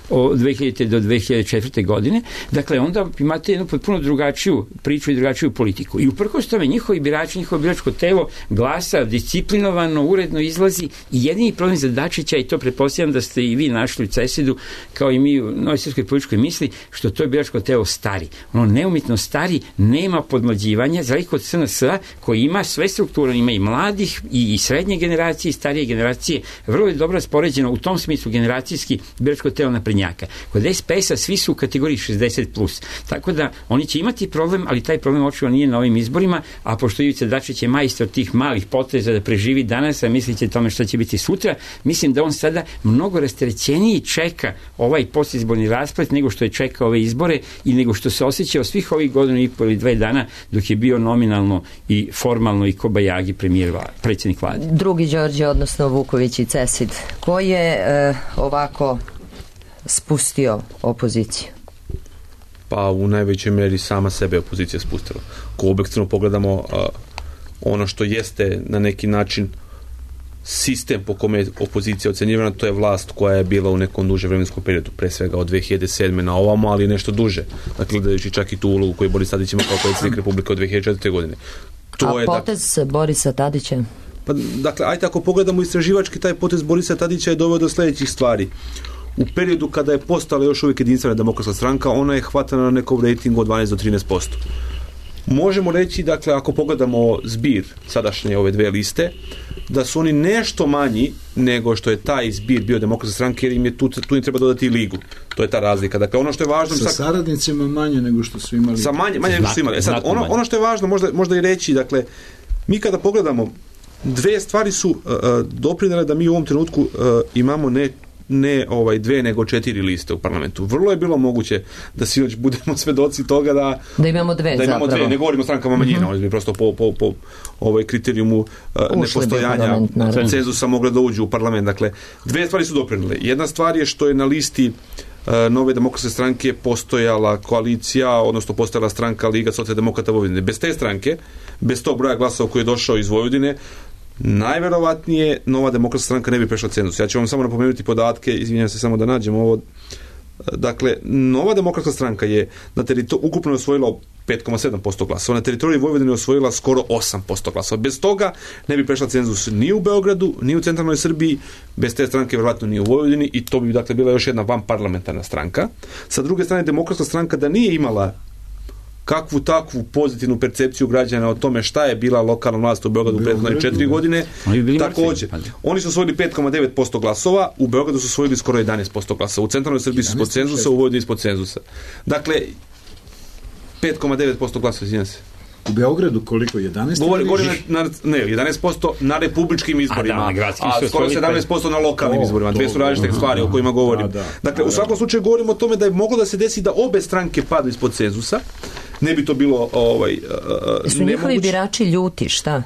od dve hiljadite do dve hiljade četvrte. godine. Dakle, onda imate jednu potpuno drugačiju priču i drugačiju politiku. I uprkos tome njihovi birači, njihovo biračko telo glasa disciplinovano, uredno izlazi i jedini problem za Dačića, i to pretpostavljam da ste i vi našli u CESID-u, kao i mi u Novoj srpskoj političkoj misli, što to je biračko telo stari. Ono neumitno stari, nema podmlađivanja, za razliku od S N S-a koji ima sve strukture, ima i mladih i, i srednje generacije i starije generacije, vrlo je dobro raspoređeno u tom smislu generacijski biračko telo naprednjaka. Kod S P S-a svi su u kategoriji šezdeset plus. Tako da oni će imati problem, ali taj problem očito nije na ovim izborima, a pošto Ivica Dačić je majstor tih malih poteza da preživi danas, a misliće tome šta će biti sutra, mislim da on sada mnogo rasterećeniji čeka ovaj postizborni rasplet nego što je čekao ove izbore i nego što se osjećao svih ovih godina i pol ili dve dana dok je bio nominalno i formalno i kobajagi premijer vlade, predsjednik vlade. Drugi Đorđe, odnosno Vuković i CESID, ko je e, ovako spustio opoziciju? Pa u najvećoj meri sama sebe opozicija spustila. Ako objektivno pogledamo uh, ono što jeste na neki način sistem po kome je opozicija ocenjivana, to je vlast koja je bila u nekom duže vremenskom periodu, pre svega od dve hiljade sedme na ovamo, ali nešto duže. Dakle, gledajući čak i tu ulogu koju Boris Tadić ima kao predsjednik Republike od dve hiljade četvrte. godine. To A je, potez da... Borisa Tadića? Pa, dakle, ajde ako pogledamo istraživački, taj potez Borisa Tadića je doveo do sljedećih stvari. U periodu kada je postala još uvijek jedinstvena demokratska stranka, ona je hvatana na nekom rejtingu od dvanaest do trinaest posto. Možemo reći, dakle, ako pogledamo zbir sadašnje ove dve liste, da su oni nešto manji nego što je taj zbir bio demokratska stranka, jer im je tu, tu im treba dodati i ligu. To je ta razlika. Dakle, ono što je važno... Sa saradnicima manje nego što su imali. Sa manje, manje nego što su imali. E sad, ono, ono što je važno možda, možda i reći, dakle, mi kada pogledamo, dve stvari su uh, doprinele da mi u ovom trenutku uh, imamo ne ne ovaj dve, nego četiri liste u parlamentu. Vrlo je bilo moguće da sinoć budemo svedoci toga da da imamo dve, da imamo zapravo. dve, ne govorimo o strankama manjina, mm-hmm. oni bi prosto po, po, po ovaj kriterijumu uh, nepostojanja cenzusa mogle da uđu u parlament. Dakle, dve stvari su doprinile. Jedna stvar je što je na listi uh, Nove demokratske stranke postojala koalicija, odnosno postojala stranka Liga socijaldemokrata Vojvodine. Bez te stranke, bez tog broja glasova koji je došao iz Vojvodine, najverovatnije Nova demokratska stranka ne bi prešla cenzus. Ja ću vam samo napomenuti podatke, izvinjam se samo da nađemo ovo. Dakle, Nova demokratska stranka je na teritoriju ukupno osvojila pet zarez sedam posto glasova. Na teritoriji Vojvodine osvojila skoro osam posto glasova. Bez toga ne bi prešla cenzus ni u Beogradu, ni u centralnoj Srbiji, bez te stranke vjerojatno ni u Vojvodini i to bi dakle bila još jedna vanparlamentarna stranka. Sa druge strane, demokratska stranka da nije imala kakvu takvu pozitivnu percepciju građana o tome šta je bila lokalna vlast u Beogradu u prethodne četiri godine. Također, oni su osvojili pet zarez devet posto glasova, u Beogradu su osvojili skoro jedanaest posto glasova, u centralnoj Srbiji su ispod cenzusa, u Vojvodini ispod cenzusa. Dakle, pet zarez devet posto glasova, izvinjam se. U Beogradu koliko? jedanaest? Govori, govori na, ne, jedanaest posto na republičkim izborima, a, da, a skoro sedamnaest posto na lokalnim o, izborima. Dve su različite stvari o kojima govorim. Da, da, dakle, da, u svakom slučaju govorimo o tome da je moglo da se desi da obe stranke padnu ispod cenzusa. Ne bi to bilo ovaj, uh, su njihovi birači ljuti, šta?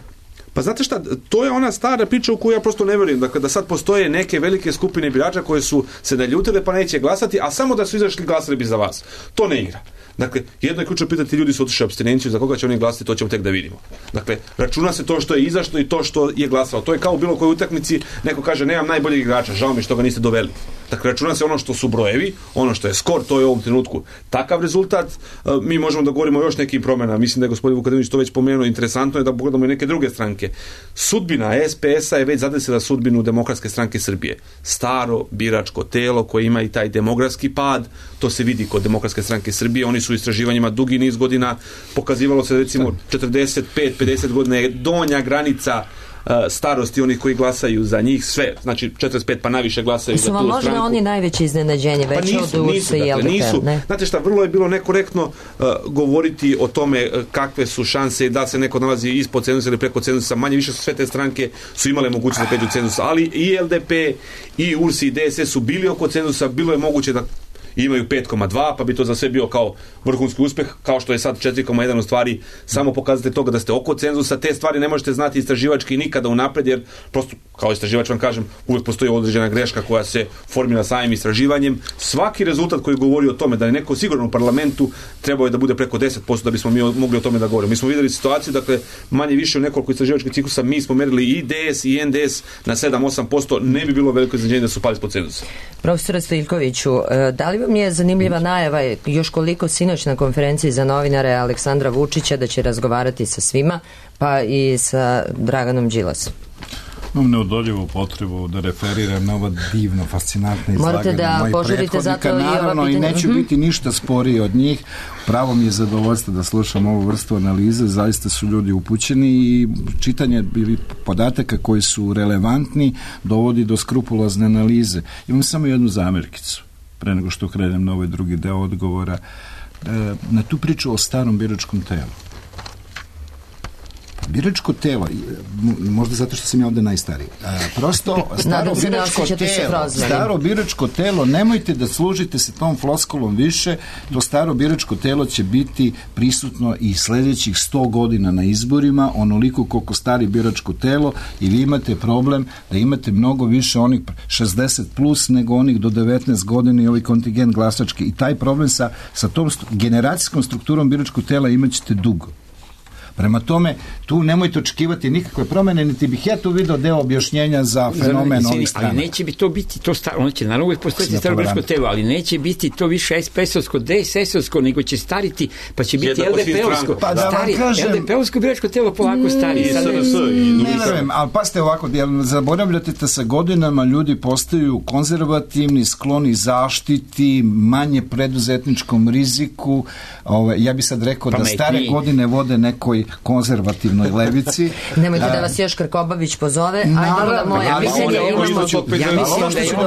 Pa znate šta, to je ona stara priča u koju ja prosto ne vjerujem. Dakle, da sad postoje neke velike skupine birača koje su se naljutile pa neće glasati, a samo da su izašli glasali bi za vas. To ne igra. Dakle, jedno je ključno pitati, ljudi su otišli apstinenciju, za koga će oni glasati, to ćemo tek da vidimo. Dakle, računa se to što je izašlo i to što je glasalo. To je kao u bilo kojoj utakmici, neko kaže, nemam najboljeg igrača, žao mi što ga niste doveli. Dakle, računa se ono što su brojevi, ono što je skor, to je u ovom trenutku takav rezultat. Mi možemo da govorimo o još nekim promjenama. Mislim da je gospodin Vukadinović to već pomenuo. Interesantno je da pogledamo i neke druge stranke. Sudbina S P S-a je već zadesila sudbinu Demokratske stranke Srbije. Staro biračko telo koje ima i taj demografski pad, to se vidi kod Demokratske stranke Srbije. Oni su u istraživanjima dugi niz godina, pokazivalo se recimo četrdeset pet pedeset godina je donja granica uh, starosti onih koji glasaju za njih, sve, znači četrdeset pet pa naviše glasaju za tu stranku. Su vam možda oni najveće iznenađenje, već pa nisu, od U R S-a i L D P-a? Nisu, ne? Znate šta, vrlo je bilo nekorektno uh, govoriti o tome uh, kakve su šanse da se neko nalazi ispod cenzusa ili preko cenzusa. Manje više su sve te stranke su imale mogućnost da pređu cenzus, ali i L D P i U R S i D S S su bili oko cenzusa, bilo je moguće da imaju pet zarez dva, pa bi to za sve bio kao vrhunski uspeh, kao što je sad četiri zarez jedan u stvari, samo pokazate toga da ste oko cenzusa, te stvari ne možete znati istraživački nikada unapred, jer prosto, kao istraživač vam kažem, uvijek postoji određena greška koja se formira samim istraživanjem. Svaki rezultat koji govori o tome da je neko sigurno u parlamentu, trebao je da bude preko deset posto da bismo mi mogli o tome da govorimo. Mi smo vidjeli situaciju, dakle, manje više u nekoliko istraživačkih ciklusa, mi smo merili i D S i N D S na sedam do osam posto, ne bi bilo veliko iznenađenje da su pali ispod cenzusa. Profesore Stojiljkoviću, da li vam je zanimljiva najava, još koliko sinoć na konferenciji za novinare Aleksandra Vučića da će razgovarati sa svima, pa i sa Draganom Đilasom? Imam neodoljivu potrebu da referiram na ova divno, fascinantna izlaganja. Morate da požurite zato i ova pitanja. Naravno, i neću mm-hmm. biti ništa sporiji od njih. Pravo mi je zadovoljstvo da slušam ovu vrstu analize. Zaista su ljudi upućeni i čitanje podataka koji su relevantni dovodi do skrupulozne analize. Imam samo jednu zamerkicu pre nego što krenem na ovaj drugi deo odgovora, na tu priču o starom biračkom telu. Biračko telo, možda zato što sam ja ovde najstariji, prosto staro biračko telo, staro biračko telo, nemojte da služite se tom floskolom više, to staro biračko telo će biti prisutno i sledećih sto godina na izborima, onoliko koliko stari biračko telo, i vi imate problem da imate mnogo više onih šezdeset plus nego onih do devetnaest godina i ovaj kontingent glasački, i taj problem sa, sa tom generacijskom strukturom biračkog tela imat ćete dugo. Prema tome, tu nemojte očekivati nikakve promene, niti bih ja tu video deo objašnjenja za fenomen ovih strana. Ali neće bi to biti to staro, ono će naravno uvijek postojiti staro biračko telo, ali neće biti to više S P S-ovsko, D S S-ovsko, nego će stariti, pa će biti L D P-ovsko. Pa da vam kažem, L D P-ovsko biračko telo polako stari. Ne verujem, ali pasite ovako, zaboravljate da sa godinama ljudi postaju konzervativni, skloni zaštiti, manje preduzetničkom riziku. Ja bih sad rekao da stare godine vode nekoj konzervativnoj levici. Nemojte da vas još Krkobabić pozove. Ajde da moja mišljenja imamo. Ja mislim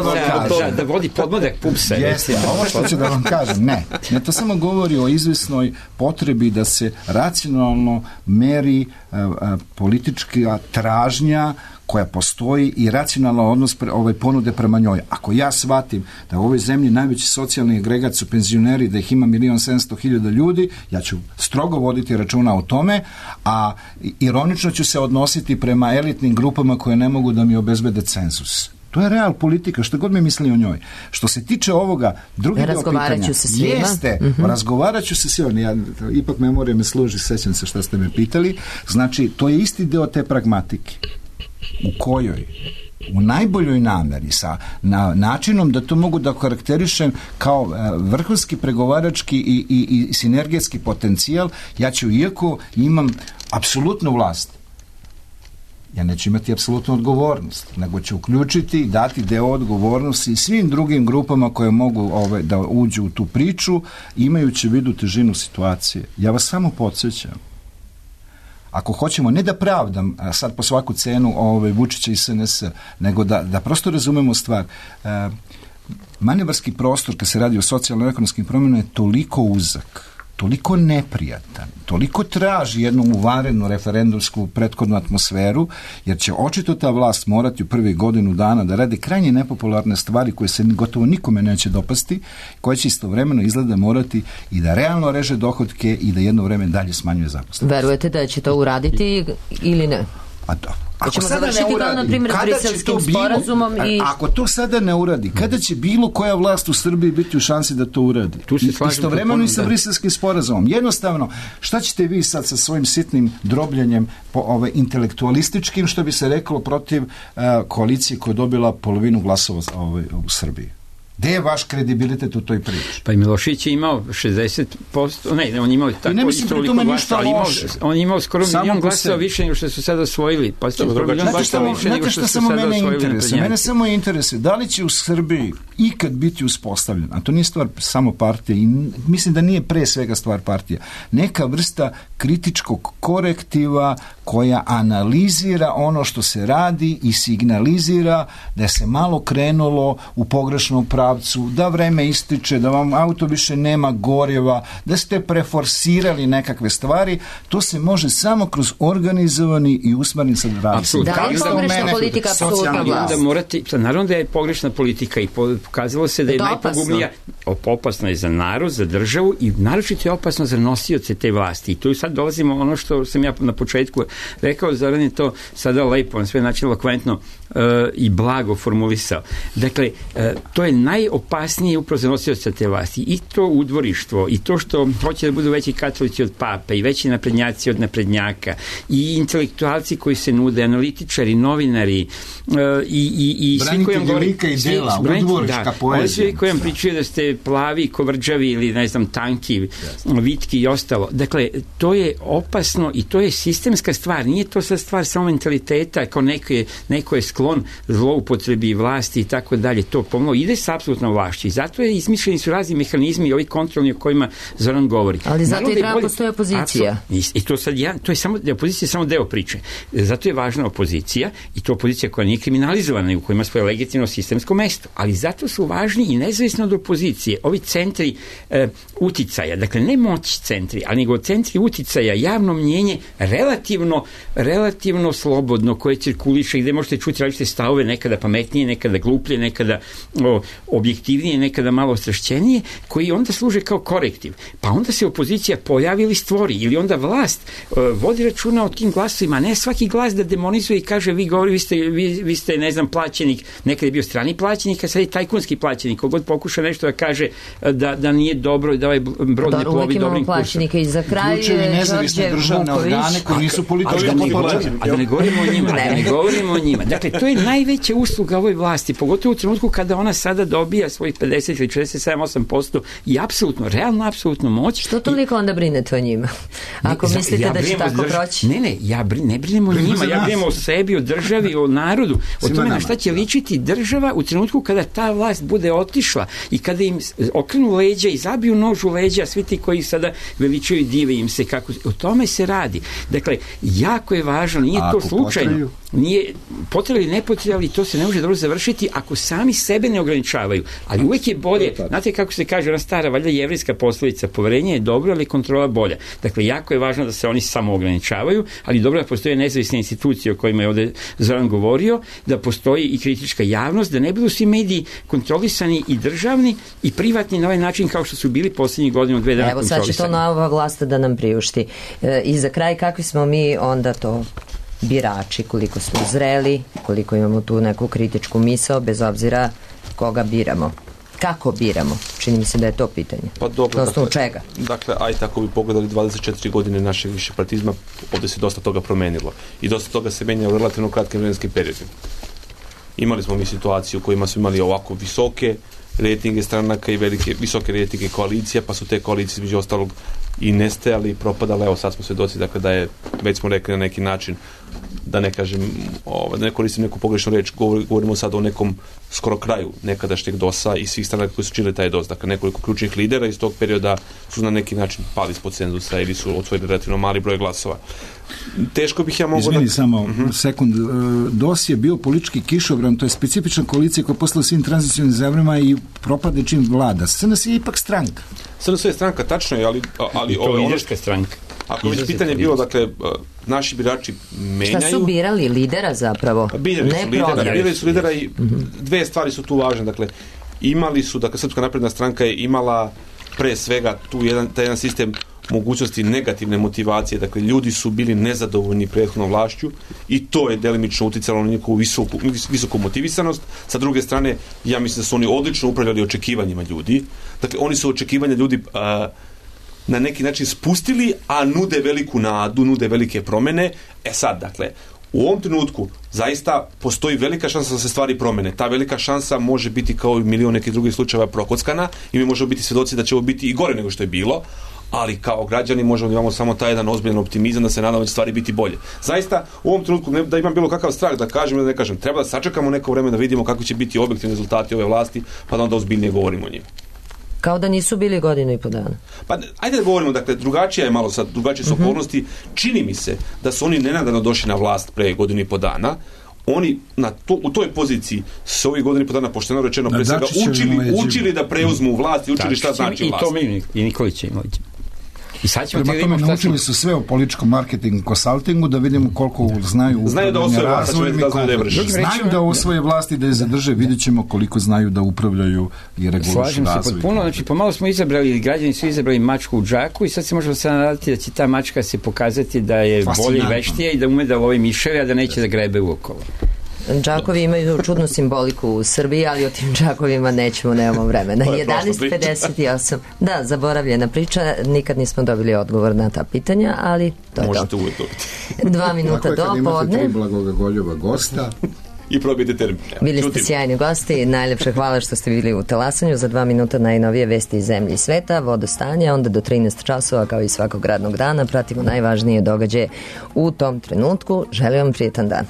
da da vodi podmladak pupsa. Jeste, ovo što ću da vam kažem, ne. Ne, to samo govori o izvesnoj potrebi da se racionalno meri politička tražnja koja postoji i racionalan odnos pre, ovaj, ponude prema njoj. Ako ja shvatim da u ovoj zemlji najveći socijalni agregat su penzioneri, da ih ima milion sedamsto hiljada ljudi, ja ću strogo voditi računa o tome, a ironično ću se odnositi prema elitnim grupama koje ne mogu da mi obezbede cenzus. To je real politika, što god mi misli o njoj. Što se tiče ovoga, drugi deo pitanja, jeste, mm-hmm. razgovarat ću se svima, ja, ipak memorija me služi, sećam se šta ste me pitali, znači, to je isti deo te pragmatike, u kojoj u najboljoj nameri sa na, načinom da to mogu da karakterišem kao e, vrhunski pregovarački i, i, i sinergetski potencijal, ja ću, iako imam apsolutnu vlast, ja neću imati apsolutnu odgovornost, nego ću uključiti i dati deo odgovornosti svim drugim grupama koje mogu ove, da uđu u tu priču, imajući u vidu težinu situacije. Ja vas samo podsjećam, ako hoćemo ne da pravdam sad po svaku cenu ove, Vučića i S N S, nego da, da prosto razumemo stvar, e, manevarski prostor kad se radi o socijalno-ekonomskim promjenama je toliko uzak, toliko neprijatan, toliko traži jednu uvarednu referendumsku prethodnu atmosferu, jer će očito ta vlast morati u prvih godinu dana da radi krajnje nepopularne stvari koje se gotovo nikome neće dopasti, koje će istovremeno izgleda morati i da realno reže dohotke i da jedno vreme dalje smanjuje zaposlenost. Verujete da će to uraditi ili ne? A to. Ako ćemo sada završiti ne uradi, kao na primjer Briselskim sporazumom i... Ako to sada ne uradi, kada će bilo koja vlast u Srbiji biti u šansi da to uradi? Tu se slažem. Istovremeno i sa Briselskim sporazumom. Jednostavno, šta ćete vi sad sa svojim sitnim drobljenjem po, ove, intelektualističkim, što bi se reklo, protiv uh, koalicije koja je dobila polovinu glasova ove, u Srbiji? Gde je vaš kredibilitet u toj priči? Pa i Milošić je imao šezdeset posto, ne, on je imao tako ne mislim toliko glasa, ali imao, on je imao skoro milion glasova više nego što su sada osvojili. Pa skoro milion glasova više nego što su sada osvojili naprednjaci. Mene samo interesuje, da li će u Srbiji ikad biti uspostavljen, a to nije stvar samo partije, i mislim da nije pre svega stvar partija, neka vrsta kritičkog korektiva koja analizira ono što se radi i signalizira da se malo krenulo u pogrešnom pravcu, da vreme ističe, da vam auto više nema goriva, da ste preforsirali nekakve stvari, to se može samo kroz organizovani i usmeren sad rad. Da li je pogrešna politika apsolutna vlast? Morate, naravno da je pogrešna politika i pokazalo se da je najpogubnija, opasno je za narod, za državu i naročito je opasno za nosioce te vlasti. I tu sad dolazimo ono što sam ja na početku rekao, Zoran je to sada lepo, on sve način elokventno uh, i blago formulisao. Dakle, uh, to je najopasnije upravo za nosioce te vlasti. I to udvorištvo, i to što hoće da budu veći katolici od pape, i veći naprednjaci od naprednjaka, i intelektualci koji se nude, analitičari, novinari, uh, i, i, i svi koji vam govori... i dela, udvoriška poezija. Svi koji vam pričaju da ste plavi, kovrđavi ili, ne znam, tanki, yes. vitki i ostalo. Dakle, to je opasno i to je sistemska stvar. Nije to sad stvar samo mentaliteta, kao neko je, neko je sklon zloupotrebi vlasti i tako dalje. To pomalo ide sa apsolutnom vlašću. I zato je izmišljeni su razni mehanizmi i ovi kontrolni o kojima Zoran govori. Ali zato naravno i treba postoje opozicija. I, i to sad ja, to je samo, opozicija je samo deo priče. Zato je važna opozicija i to opozicija koja nije kriminalizovana i u kojima svoje legitimno sistemsko mesto. Ali zato su važni i nezavisno od opozicije. Ovi centri e, uticaja, dakle ne moć centri, ali nego centri uticaja, javno mnjenje relativno, relativno slobodno koje cirkuliše, gde možete čuti različite stavove, nekada pametnije, nekada gluplje, nekada o, objektivnije, nekada malo ostrašćenije, koji onda služe kao korektiv. Pa onda se opozicija pojavi ili stvori, ili onda vlast o, vodi računa o tim glasovima, ne svaki glas da demonizuje i kaže vi govori, vi ste, vi, vi ste ne znam, plaćenik, nekada je bio strani plaćenik, a sad je tajkunski plaćenik, kogod pokuša nešto da kaže da, da nije dobro i da ovaj brod ne plovi dobrim kursom. I za kraj nezavisne državne organe koji nisu politički. A da ne govorimo o njima, da ne govorimo o njima. Dakle, to je najveća usluga ovoj vlasti, pogotovo u trenutku kada ona sada dobija svojih pedeset ili četrdeset sedam osam posto i apsolutno, realno apsolutno moć. Što toliko onda brinete o njima? Ako ne, mislite ja da će tako proći? Ne, ne, ja brin, ne brinem o njima, ja brinem o sebi, o državi, o narodu, o tome na šta će ličiti država u trenutku kada ta vlast bude otišla i kada im okrenu leđa i zabiju nož u leđa, svi ti koji sada veličaju, dive im se kako, o tome se radi. Dakle, jako je važno, nije to slučajno. nije potrebno ili nepotrebno, ali to se ne može dobro završiti ako sami sebe ne ograničavaju. Ali uvek je bolje, znate kako se kaže, ona stara, valjda jevrejska poslovica, poverenje je dobro, ali kontrola bolja. Dakle, jako je važno da se oni samo ograničavaju, ali dobro da postoje nezavisne institucije o kojima je ovde Zoran govorio, da postoji i kritička javnost, da ne budu svi mediji kontrolisani i državni i privatni na ovaj način kao što su bili posljednjih godina dve dana kontrolisani. Evo sad će to nova vlast da nam priušti. E, I za kraj, kakvi smo mi onda to birači, koliko smo zreli, koliko imamo tu neku kritičku misao, bez obzira koga biramo. Kako biramo? Čini mi se da je to pitanje. Pa dobro, na osnovu dakle, čega? Dakle, aj tako bi pogledali dvadeset četiri godine našeg višepartizma, ovdje se dosta toga promenilo. I dosta toga se menja u relativno kratkim vremenskim periodima. Imali smo mi situaciju u kojima smo imali ovako visoke rejtinge stranaka i velike, visoke rejtinge koalicija, pa su te koalicije između ostalog i nestajali i propadale. Evo sad smo svedoci, dakle, da je, već smo rekli na neki način, da ne kažem, ovaj, da ne koristim neku pogrešnu reč, govorimo sad o nekom skoro kraju nekadašnjeg dosa i svih stranaka koji su činili taj dos. Dakle, nekoliko ključnih lidera iz tog perioda su na neki način pali ispod cenzusa ili su osvojili relativno mali broj glasova. Teško bih ja mogao... Izmini da... samo uh-huh. sekund. DOS je bio politički kišobran, to je specifična koalicija koja je posla svim tranzicijnim zemljama i propade čim vlada. S N S je ipak stranka. S N S je stranka, tačno je, ali... ali I to je liderska stranka. Ako već pitanje je bilo, dakle, naši birači menjaju... Šta su birali? Lidera zapravo? Birali ne su lidera, birali su lidera i uh-huh. dve stvari su tu važne. Dakle, imali su, dakle, Srpska napredna stranka je imala pre svega tu jedan, taj jedan sistem mogućnosti negativne motivacije, dakle ljudi su bili nezadovoljni prethodnom vlašću i to je delimično uticalo na njihovu visoku, visoku motivisanost. Sa druge strane, ja mislim da su oni odlično upravljali očekivanjima ljudi. Dakle, oni su očekivanja ljudi a, na neki način spustili, a nude veliku nadu, nude velike promene. E sad, dakle, u ovom trenutku zaista postoji velika šansa da se stvari promene. Ta velika šansa može biti kao i milion nekih drugih slučajeva prokockana i mi možemo biti svedoci da će ovo biti i gore nego što je bilo, ali kao građani možemo da imamo samo taj jedan ozbiljan optimizam da se nadamo da će stvari biti bolje. Zaista, u ovom trenutku ne, da imam bilo kakav strah da kažem ili da ne kažem, treba da sačekamo neko vreme da vidimo kako će biti objektivni rezultati ove vlasti, pa da onda ozbiljnije govorimo o njima. Kao da nisu bili godinu i po dana. Pa ajde da govorimo, dakle, drugačija je malo sad, drugačije su uh-huh. okolnosti. Čini mi se da su oni nenadano došli na vlast pre godinu i po dana. Oni na to, u toj poziciji s ovih godina i po dana, pošteno rečeno, pre svega učili, učili da preuzmu vlast i učili šta znači i vlast. I to mi i Nikolić i Imović. I sad ćemo Prema tome, naučili su sve o političkom marketingu, konsultingu, da vidimo koliko znaju znaju da osvoje vlast, da znaju da je vrši. Znaju da osvoje vlasti, da je zadrže, vidjet ćemo koliko znaju da upravljaju i regulišu razvoj. Slažem se potpuno, znači pomalo smo izabrali, građani su izabrali mačku u džaku i sad se možemo se nadati da će ta mačka se pokazati da je bolje i veštija i da ume da lovi miševe, a da neće da grebe uokolo. Džakovi imaju čudnu simboliku u Srbiji, ali o tim džakovima nećemo, nemamo vremena. jedanaest pedeset osam. Da, zaboravljena priča, nikad nismo dobili odgovor na ta pitanja, ali to je možete to. uvijek dobiti. Dva minuta do podne. Tri blagogoljova gosta. I probijete termin. Bili ste sjajni gosti, najlepše hvala što ste bili u Talasanju. Za dva minuta najnovije vesti iz zemlje i sveta, vodostanje, onda do trinaest časova kao i svakog radnog dana pratimo najvažnije događaje u tom trenutku. Želim vam prijetan dan.